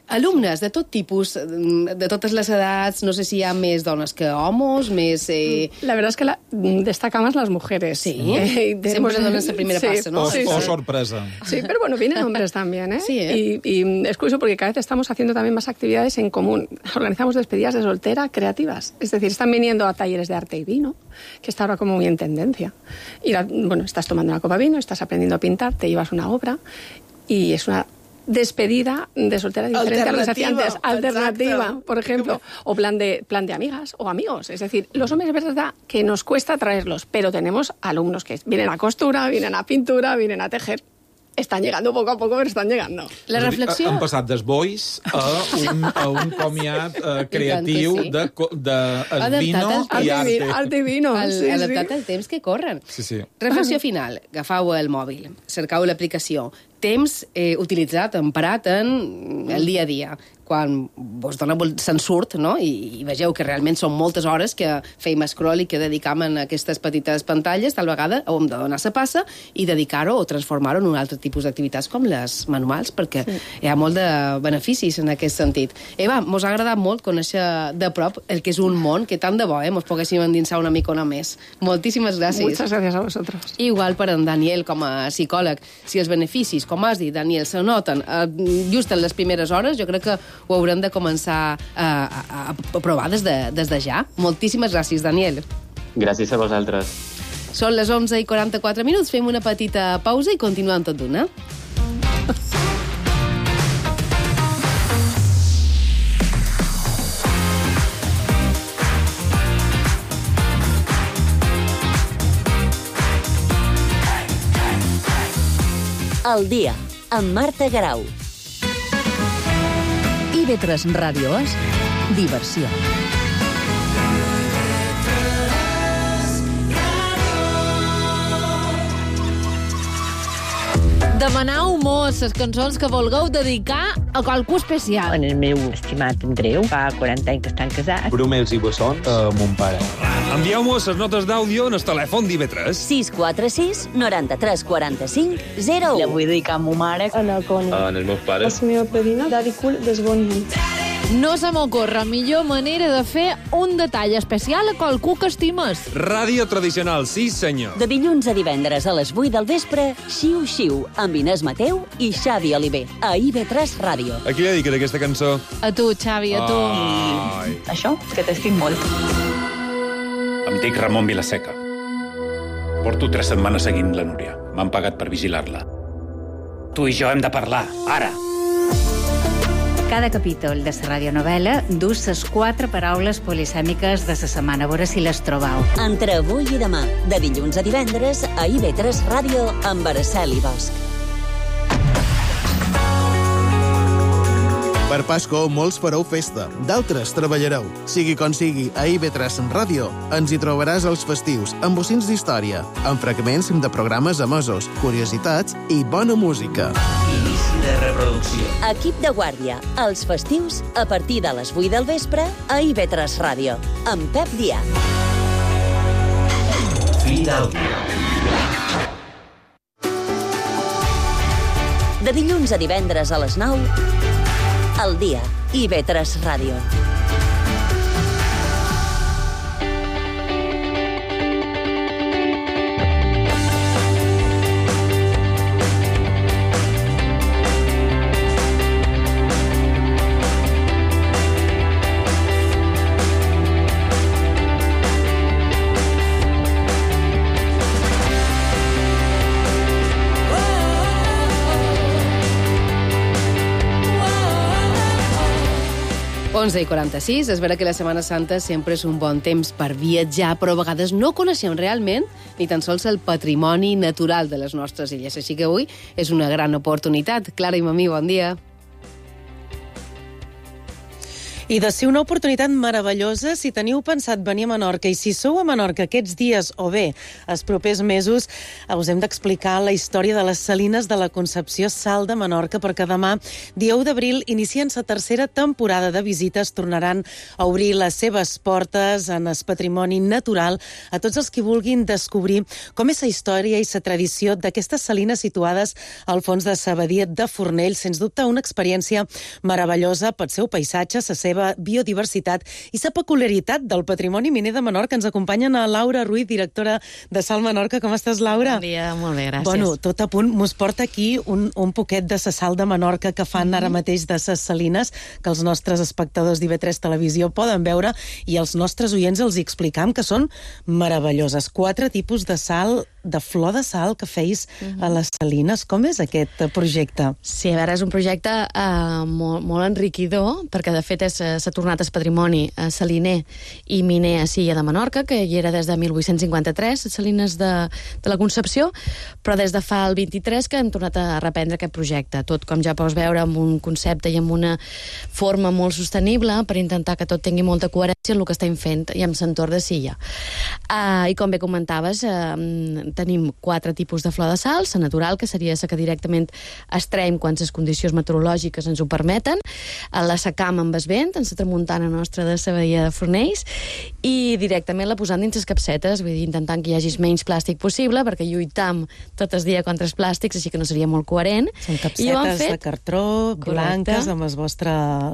Alumnes de tot tipus, de totes les edats, no sé si hi ha més dones que homes, més... Eh... La verdad es que la, destaca más las mujeres. Sí, eh, siempre dones de primera sí, pasa, ¿no? O, sí, o sí. sorpresa. Sí, pero bueno, vienen hombres también, ¿eh? Sí, ¿eh? Y, y es curioso porque cada vez estamos haciendo también más actividades en común. Organizamos despedidas de soltera creativas. Es decir, están viniendo a talleres de arte y vino, que está ahora como muy en tendencia. Y la, bueno, estás tomando una copa de vino, estás aprendiendo a pintar, te llevas una obra y es una despedida de soltera diferente a lo que se hacía antes. Alternativa, exacto. Por ejemplo. O plan de, plan de amigas o amigos. Es decir, los hombres es verdad que nos cuesta traerlos, pero tenemos alumnos que vienen a costura, vienen a pintura, vienen a tejer. Están llegando poco a poco, pero están llegando. La reflexió... Han passat dels bois a un, a un comiat uh, creatiu sí. de, de el vino i arte. Arte i vino, el, sí, adaptat sí. al temps que corren. Sí, sí. Reflexió final. Agafau el mòbil, cercau l'aplicació. Temps eh, utilitzat, emparat en el dia a dia. Quan vos dona, se'n surt, no? I, i vegeu que realment són moltes hores que feim scroll i que dedicam a aquestes petites pantalles, tal vegada hem de donar la passa i dedicar-ho o transformar-ho en un altre tipus d'activitats com les manuals, perquè sí. Hi ha molt de beneficis en aquest sentit. Eva, mos ha agradat molt conèixer de prop el que és un món que tant de bo, eh? Mos poguéssim endinsar una micona més. Moltíssimes gràcies. Muchas gracias a vosotros. Igual per en Daniel, com a psicòleg. Si els beneficis, com has dit, Daniel, se noten eh, just en les primeres hores, jo crec que ho haurem de començar a, a, a provar des de, des de ja. Moltíssimes gràcies, Daniel. Gràcies a vosaltres. Són les onze i quaranta-quatre minuts, fem una petita pausa i continuem tot d'una. El dia, amb Marta Garau. I ve tres Ràdio és diversió. Demanau mos les cançons que vulgueu dedicar a qualcú especial. En el meu estimat Andreu, fa quaranta anys que estan casats. Brumels i bossons a mon pare. Envieu-mos les notes d'àudio en el telèfon d'I V tres. sis quatre sis, noranta-tres, quaranta-cinc, zero u. La vull dedicar a ma mare. A la Connie. En els meus pares. La meva padrina, Daddy Cool, desbonint. No se m'ocorre millor manera de fer un detall especial a qualcú que estimes. Ràdio tradicional, sí senyor. De dilluns a divendres a les vuit del vespre, Xiu Xiu, amb Inés Mateu i Xavi Oliver, a I V tres Ràdio. A qui dediques aquesta cançó? A tu, Xavi, a tu. Ai. Això, que t'estic molt. Em dic Ramon Vilaseca. Porto tres setmanes seguint la Núria. M'han pagat per vigilar-la. Tu i jo hem de parlar, ara. Cada capítol de la radionovel·la dus les quatre paraules polisèmiques de la setmana. A veure si les trobau. Entre avui i demà, de dilluns a divendres, a I V tres Ràdio, amb Araceli Bosch. Per Pasco, molts fareu festa, d'altres treballareu. Sigui com sigui, a I V tres Ràdio ens hi trobaràs els festius, amb bocins d'història, amb fragments de programes emesos, curiositats i bona música. Inici de reproducció. Equip de guàrdia, els festius, a partir de les vuit del vespre, a I V tres Ràdio, amb Pep Dià. Fi d'àudio. De dilluns a divendres a les nou, al dia, I V tres Ràdio. onze i quaranta-sis, és vera que la Setmana Santa sempre és un bon temps per viatjar, però a vegades no coneixem realment ni tan sols el patrimoni natural de les nostres illes. Així que avui és una gran oportunitat. Clara i Mamí, bon dia. I de ser una oportunitat meravellosa si teniu pensat venir a Menorca i si sou a Menorca aquests dies o bé els propers mesos, us hem d'explicar la història de les Salines de la Concepció Sal de Menorca, perquè demà, dia u d'abril, inicien la tercera temporada de visites, tornaran a obrir les seves portes en el patrimoni natural a tots els que vulguin descobrir com és la història i la tradició d'aquestes salines situades al fons de la badia de Fornells. Sens dubte, una experiència meravellosa pel seu paisatge, la seva biodiversitat i la peculiaritat del patrimoni miner de Menorca. Ens acompanyen a Laura Ruiz, directora de Sal Menorca. Com estàs, Laura? Bon dia, molt bé, gràcies. Bueno, tot a punt. Mos porta aquí un, un poquet de la sal de Menorca que fan mm-hmm. ara mateix de les salines, que els nostres espectadors d'I V tres Televisió poden veure, i els nostres oients els hi explicam que són meravelloses. Quatre tipus de sal, de flor de sal que feis mm-hmm. a les salines. Com és aquest projecte? Sí, a veure, és un projecte uh, molt, molt enriquidor, perquè de fet és s'ha tornat al patrimoni eh, saliner i miner a Silla de Menorca, que hi era des de mil vuit-cents cinquanta-tres, les salines de, de la Concepció, però des de fa el vint-i-tres que hem tornat a reprendre aquest projecte. Tot, com ja pots veure, amb un concepte i amb una forma molt sostenible per intentar que tot tingui molta coherència en el que estem fent i amb l'entorn de Silla. Uh, I com bé comentaves, uh, tenim quatre tipus de flor de sal, la natural, que seria la que directament extraiem quan les condicions meteorològiques ens ho permeten, la secam amb el vent, en la tramuntana nostra de la badia de Fornells, i directament la posant dins les capsetes, vull dir, intentant que hi hagi menys plàstic possible, perquè lluitam tot el dia contra els plàstics, així que no seria molt coherent. Són capsetes fet... de cartró, correcte, blanques, amb el vostre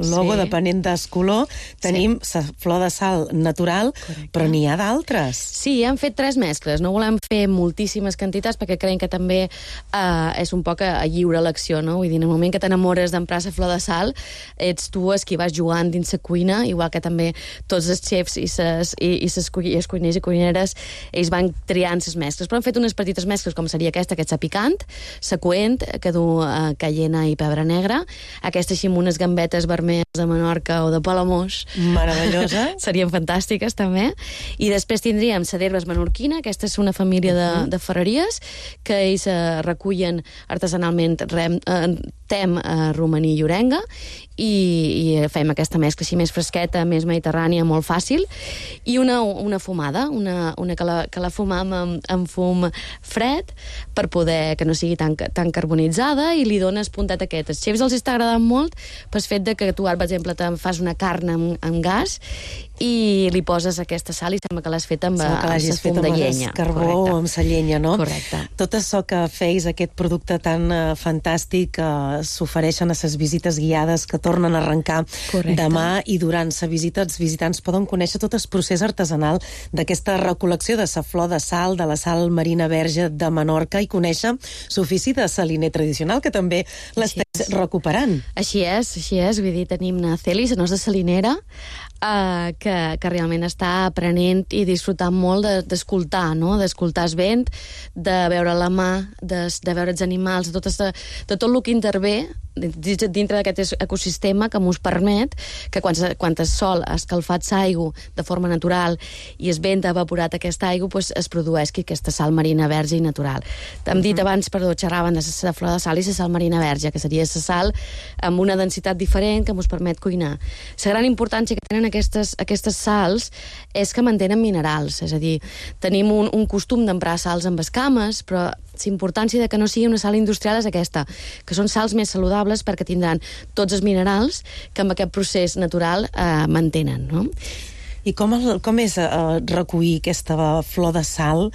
logo, sí, depenent del color. Tenim la sí. flor de sal natural, correcte, però n'hi ha d'altres. Sí, hem fet tres mescles. No volem fer moltíssimes quantitats, perquè creiem que també eh, és un poc a, a lliure elecció, no? Vull dir, en el moment que t'enamores d'emprar la flor de sal, ets tu els qui vas jugant dins la cuina, igual que també tots els xefs i ses, i, i ses i els cuiners i cuineres, ells van triant les mescles. Però han fet unes petites mescles, com seria aquesta, que és la picant, la coent, que du uh, cayena i pebre negre, aquesta així amb unes gambetes vermelles de Menorca o de Palamós. Meravellosa. Serien fantàstiques, també. I després tindríem la d'herbes menorquina, aquesta és una família de, de ferreries, que ells uh, recullen artesanalment rem, uh, tem, uh, romaní i orenga, i, i fem aquesta mescla així més fresqueta, més mediterrània, molt fàcil, i una, una fumada, una, una que, la, que la fumam amb, amb fum fred, per poder que no sigui tan, tan carbonitzada, i li dones puntet aquest. Els xefs els està agradant molt pel fet de que tu, per exemple, te fas una carn amb, amb gas i li poses aquesta sal i sembla que l'has fet amb, amb el fum de llenya. Carbó o amb la llenya, no? Correcte. Tot això que feis, aquest producte tan uh, fantàstic, que uh, s'ofereixen a les visites guiades que tornen a arrencar correcte. Demà, i durant la visita els visitants poden conèixer tot el procés artesanal d'aquesta recol·lecció de la flor de sal, de la sal marina verge de Menorca, i conèixer l'ofici de saliner tradicional, que també l'estàs recuperant. Així és, així és. Vull dir, tenim na Celi, la nostra salinera, Uh, que, que realment està aprenent i disfrutant molt d'escoltar, no? D'escoltar el vent, de veure la mà, de, de veure els animals, de tot, de, de tot el que intervé dintre d'aquest ecosistema, que m'us permet que quan, quan el sol ha escalfat l'aigua de forma natural i el vent ha evaporat aquesta aigua, pues, es produeix aquesta sal marina verge i natural. Hem dit uh -huh. abans, perdó, xerraven de la flor de sal i la sal marina verge, que seria la sal amb una densitat diferent que ens permet cuinar. La gran importància que tenen aquestes, aquestes sals és que mantenen minerals, és a dir, tenim un, un costum d'emprar sals amb escames, però la importància de que no sigui una sal industrial és aquesta, que són sals més saludables perquè tindran tots els minerals que amb aquest procés natural eh, mantenen, no? I com, el, com és uh, recollir aquesta flor de sal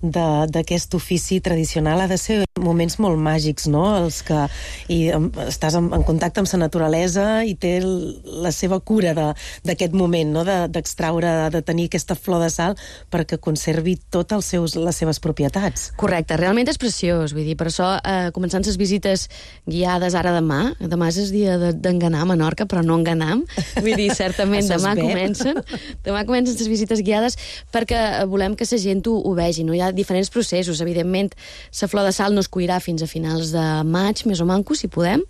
d'aquest ofici tradicional? Ha de ser moments molt màgics, no? Els que i, um, estàs en, en contacte amb la naturalesa i té el, la seva cura d'aquest moment, no? D'extraure, de, de tenir aquesta flor de sal perquè conservi totes les seves propietats. Correcte, realment és preciós, vull dir, per això eh, començant les visites guiades ara demà, demà és el dia d'enganar a Menorca, però no enganam, vull dir, certament demà comencen demà comencen les visites guiades perquè volem que la gent ho, ho vegi, no? Hi ha diferents processos, evidentment la flor de sal no es cuirà fins a finals de maig, més o manco, si podem,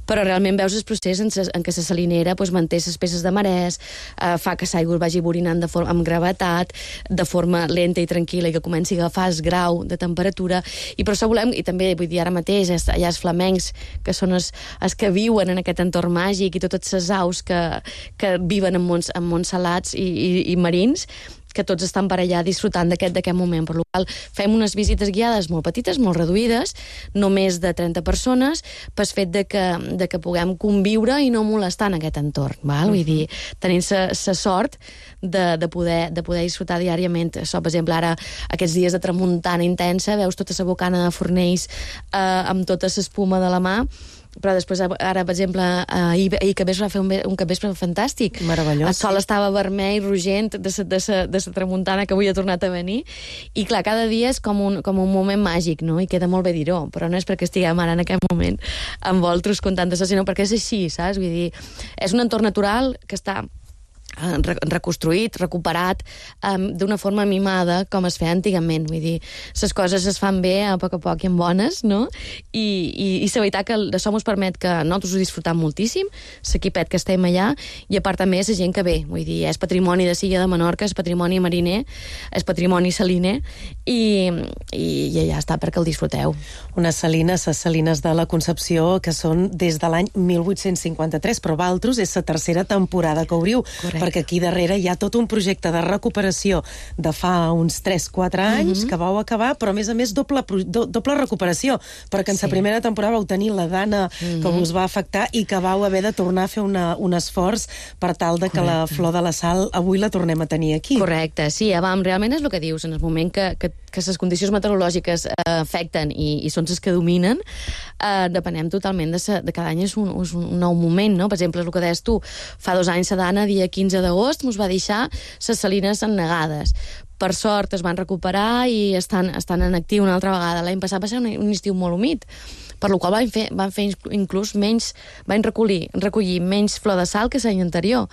però realment veus el procés en, ses, en què la salinera pues, manté les peces de marès, eh, fa que l'aigua vagi borinant de forma, amb gravetat, de forma lenta i tranquil·la, i que comenci a agafar el grau de temperatura, i per això volem, i també, vull dir, ara mateix, hi ha els flamencs, que són els, els que viuen en aquest entorn màgic, i totes les aus que, que viven en mons, en mons salats i, i, i marins, que tots estan per allà disfrutant d'aquest d'aquest moment. Per la qual fem unes visites guiades molt petites, molt reduïdes, no més de trenta persones, pel fet de que, de que puguem conviure i no molestar en aquest entorn. Val? Vull dir, tenint la sort de, de, poder, de poder disfrutar diàriament. Això, per exemple, ara, aquests dies de tramuntana intensa, veus tota la bocana de Fornells eh, amb tota l'espuma de la mà, però després, ara, per exemple, ahir, ahir que va fer un, un capvespre fantàstic. Meravellós. El sol estava vermell, rogent, de sa, de sa, de sa tramuntana que avui ha tornat a venir, i clar, cada dia és com un, com un moment màgic, no? I queda molt bé dir-ho, però no és perquè estiguem ara en aquest moment amb vosaltres contant això, sinó perquè és així, saps? Vull dir, és un entorn natural que està reconstruït, recuperat um, d'una forma mimada com es feia antigament, vull dir, les coses es fan bé a poc a poc i en bones, no? I, i, i la veritat que això ens permet que nosaltres ho disfrutam moltíssim, l'equipet que estem allà, i a part també és la gent que ve, vull dir, és patrimoni de Silla de Menorca, és patrimoni mariner, és patrimoni saliner, i, i, i ja està, perquè el disfruteu. Unes salines, les salines de la Concepció, que són des de l'any mil vuit-cents cinquanta-tres, però vosaltres és la tercera temporada que obriu. Correcte. Perquè aquí darrere hi ha tot un projecte de recuperació de fa uns tres quatre anys, mm-hmm. que vau acabar, però a més a més doble, do, doble recuperació, perquè en la sí. primera temporada vau tenir la dana mm-hmm. que us va afectar i que vau haver de tornar a fer una, un esforç per tal de que Correcte. La flor de la sal avui la tornem a tenir aquí. Correcte, sí, vam, realment és el que dius, en el moment que, que, que les condicions meteorològiques eh, afecten i, i són les que dominen, eh, depenem totalment de, sa, de cada any és un, és un nou moment, no? Per exemple, el que deies tu, fa dos anys la dana, dia quinze d'agost, ens va deixar les salines ennegades. Per sort es van recuperar i estan, estan en actiu una altra vegada. L'any passat va ser un, un estiu molt humit, per la qual van fer, van fer inclús menys, van recollir, recollir menys flor de sal que l'any anterior.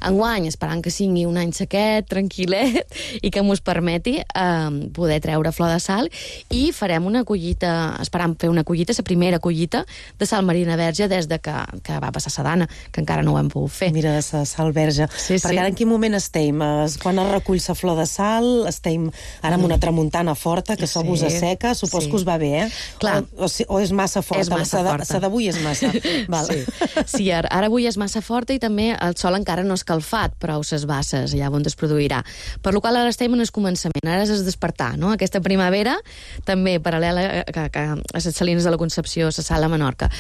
Enguany, esperant que sigui un any sequet, tranquil·let, i que mos permeti eh, poder treure flor de sal, i farem una collita, esperant fer una collita, la primera collita de sal marina verge des de que, que va passar la dana, que encara no ho hem pogut fer. Mira, la sal verge. Sí, Perquè sí. ara en quin moment estem? Quan es recull la flor de sal, estem ara amb una tramuntana forta, que això sí. vos asseca, supos sí. que us va bé, eh? Clar. O, o, o és massa forta? És massa forta. La d'avui és massa. Val. Sí, sí ara, ara avui és massa forta i també el sol encara no ha escalfat prou ses basses, allà on es produirà. Per la qual ara estem en el començament, ara és el despertar, no? Aquesta primavera, també paral·lela a, a, a les salines de la Concepció, la sala a Menorca.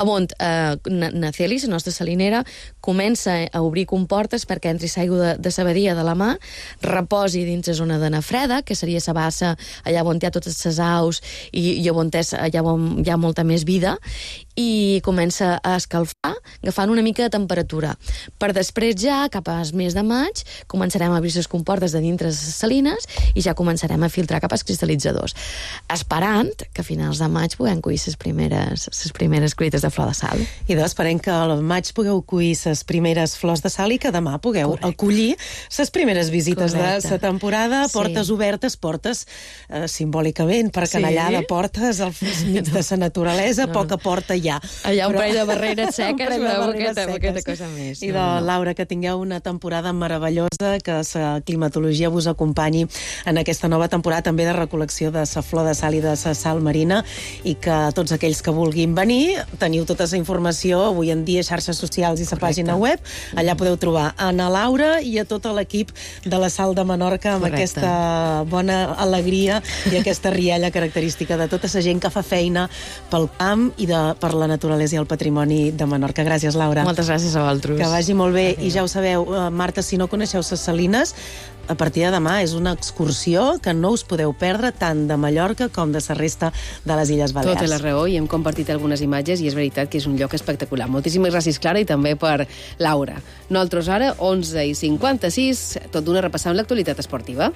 On eh, Naceli, la nostra salinera, comença a obrir comportes perquè entri l'aigua de, de la badia de la mà, reposi dins la zona de Nafreda, que seria la bassa allà on hi ha totes les aus i, i on és, allà on hi ha molta més vida, i comença a escalfar, agafant una mica de temperatura. Per després ja, cap al mes de maig, començarem a obrir les comportes de dintre les salines i ja començarem a filtrar cap als cristal·litzadors, esperant que a finals de maig puguem collir les primeres, les primeres collites de flor de sal. I doncs esperem que al maig pugueu collir les primeres flors de sal i que demà pugueu Correcte. Acollir les primeres visites Correcte. De la temporada, portes sí. obertes, portes eh, simbòlicament, perquè sí. allà de portes al mig de la naturalesa, no. poca porta hi ha. Allà un però... parell de barreres seques, de però barreres aquesta, aquesta cosa més. I de no, no. Laura, que tingueu una temporada meravellosa, que la climatologia vos acompanyi en aquesta nova temporada també de recol·lecció de la flor de sal i de la sal marina, i que tots aquells que vulguin venir, teniu tota la informació avui en dia, xarxes socials i la pàgina web, allà podeu trobar a na Laura i a tot l'equip de la Sal de Menorca amb Correcte. Aquesta bona alegria i aquesta rialla característica de tota la gent que fa feina pel camp i de, per la naturalesa i el patrimoni de Menorca. Gràcies, Laura. Moltes gràcies a vosaltres. Que vagi molt bé. Adéu. I ja ho sabeu, Marta, si no coneixeu les salines, a partir de demà és una excursió que no us podeu perdre tant de Mallorca com de la resta de les Illes Balears. Tota la raó, i hem compartit algunes imatges i és veritat que és un lloc espectacular. Moltíssimes gràcies, Clara, i també per Laura. Nosaltres ara, onze i cinquanta-sis, tot d'una repassant l'actualitat esportiva.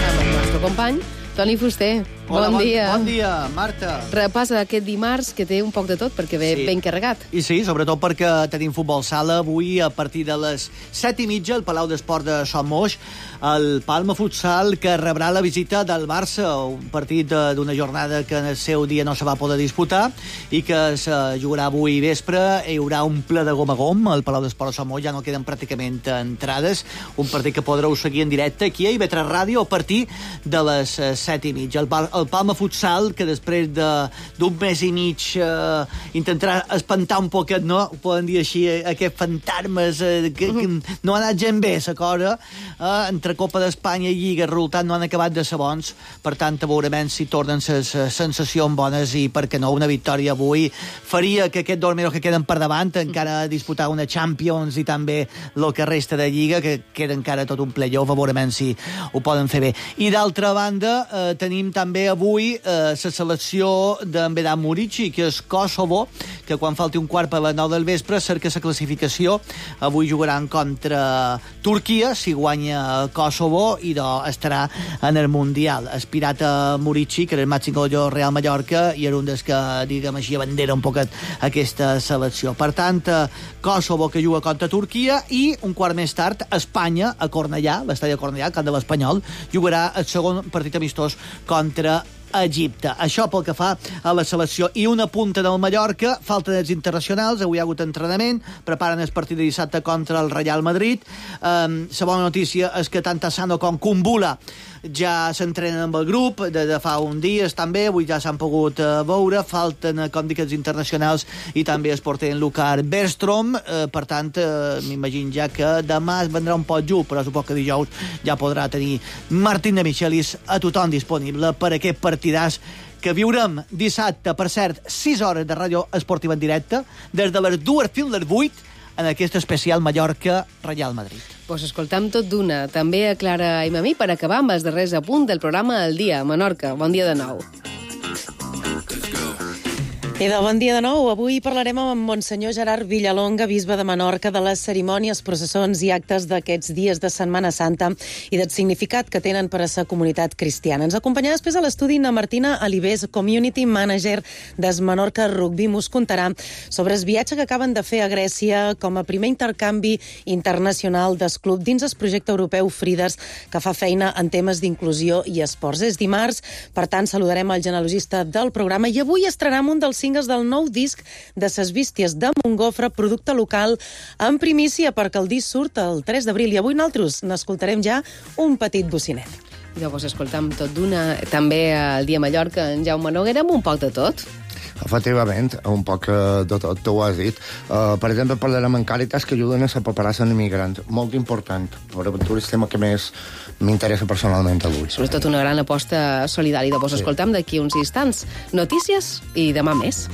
Amb el nostre company, Toni Fuster. Hola, bon dia. Bon dia, Marta. Repassa aquest dimarts, que té un poc de tot, perquè ve Sí. ben carregat. I sí, sobretot perquè tenim futbol sala avui a partir de les set i mitja al Palau d'Esport de Son Moix, el Palma Futsal, que rebrà la visita del Barça, un partit d'una jornada que en el seu dia no se va poder disputar i que es jugarà avui vespre. Hi haurà un ple de gom a gom al Palau d'Esport de Son Moix, ja no queden pràcticament entrades, un partit que podreu seguir en directe aquí a I V tres Ràdio a partir de les set i mitja. El, el Palma Futsal, que després d'un mes i mig eh, intentarà espantar un poquet, no? Ho poden dir així, eh, aquests fantasmes eh, que, que no ha anat gent bé, la cosa, eh, entre Copa d'Espanya i Lliga, el resultat no han acabat de ser bons, per tant, veurem si tornen les sensacions bones i, per què no, una victòria avui faria que aquests dos mesos que queden per davant encara disputar una Champions i també el que resta de Lliga, que queda encara tot un playoff, veurem si ho poden fer bé. I d'altra banda, eh, tenim també avui la eh, selecció d'en Vedat Murici, que és Kosovo, que quan falti un quart per les nou del vespre cerca la classificació. Avui jugaran contra Turquia, si guanya Kosovo, i doncs estarà en el Mundial. Aspirat a Murici, que era el màxim goleador Real Mallorca, i era un dels que, diguem així, abandera un poquet aquesta selecció. Per tant, Kosovo, que juga contra Turquia, i un quart més tard, Espanya, a Cornellà, l'estadi de Cornellà, al camp de l'Espanyol, jugarà el segon partit amistós contra Egipte. Això pel que fa a la selecció. I una punta del Mallorca, falten els internacionals, avui hi ha hagut entrenament, preparen el partit de dissabte contra el Real Madrid. Um, la bona notícia és que tant Tassano com Kumbula ja s'entrenen amb el grup de, de fa un dia, també, avui ja s'han pogut uh, veure, falten, com dic, els internacionals i també es porten Lucar Bergstrom, uh, per tant, uh, m'imagino ja que demà es vendrà un pot just, però suposo que dijous ja podrà tenir Martín de Michelis a tothom disponible per aquest partidàs que viurem dissabte, per cert, sis hores de ràdio esportiva en directe, des de les dues fins les vuit, en aquest especial Mallorca-Real Madrid. Pues escoltam tot d'una. També a Clara i a mi per acabar amb els darrers apunts del programa El Dia. Menorca, bon dia de nou. I de bon dia de nou. Avui parlarem amb Monsenyor Gerard Villalonga, bisbe de Menorca, de les cerimònies, processons i actes d'aquests dies de Setmana Santa i del significat que tenen per a la comunitat cristiana. Ens acompanyarà després a l'estudi na Martina Alibés, Community Manager des Menorca Rugby. Mos contarà sobre el viatge que acaben de fer a Grècia com a primer intercanvi internacional del club dins el projecte europeu Frides, que fa feina en temes d'inclusió i esports. És dimarts, per tant, saludarem el genealogista del programa i avui estrenem un dels singles del nou disc de Ses Bísties de Montgofre, producte local en primícia, perquè el disc surt el tres d'abril i avui nosaltres n'escoltarem ja un petit bocinet. I llavors escoltam tot d'una, també al Dia Mallorca, en Jaume Noguera, amb un poc de tot. Efectivament, un poc de tot, tu ho has dit. Uh, per exemple, parlarem amb Càritas, que ajuden a la paperassa en immigrants. Molt important. Per aventura és el tema que més m'interessa personalment avui. Sobretot una gran aposta solidària. Llavors sí. Escoltam d'aquí uns instants notícies i demà més.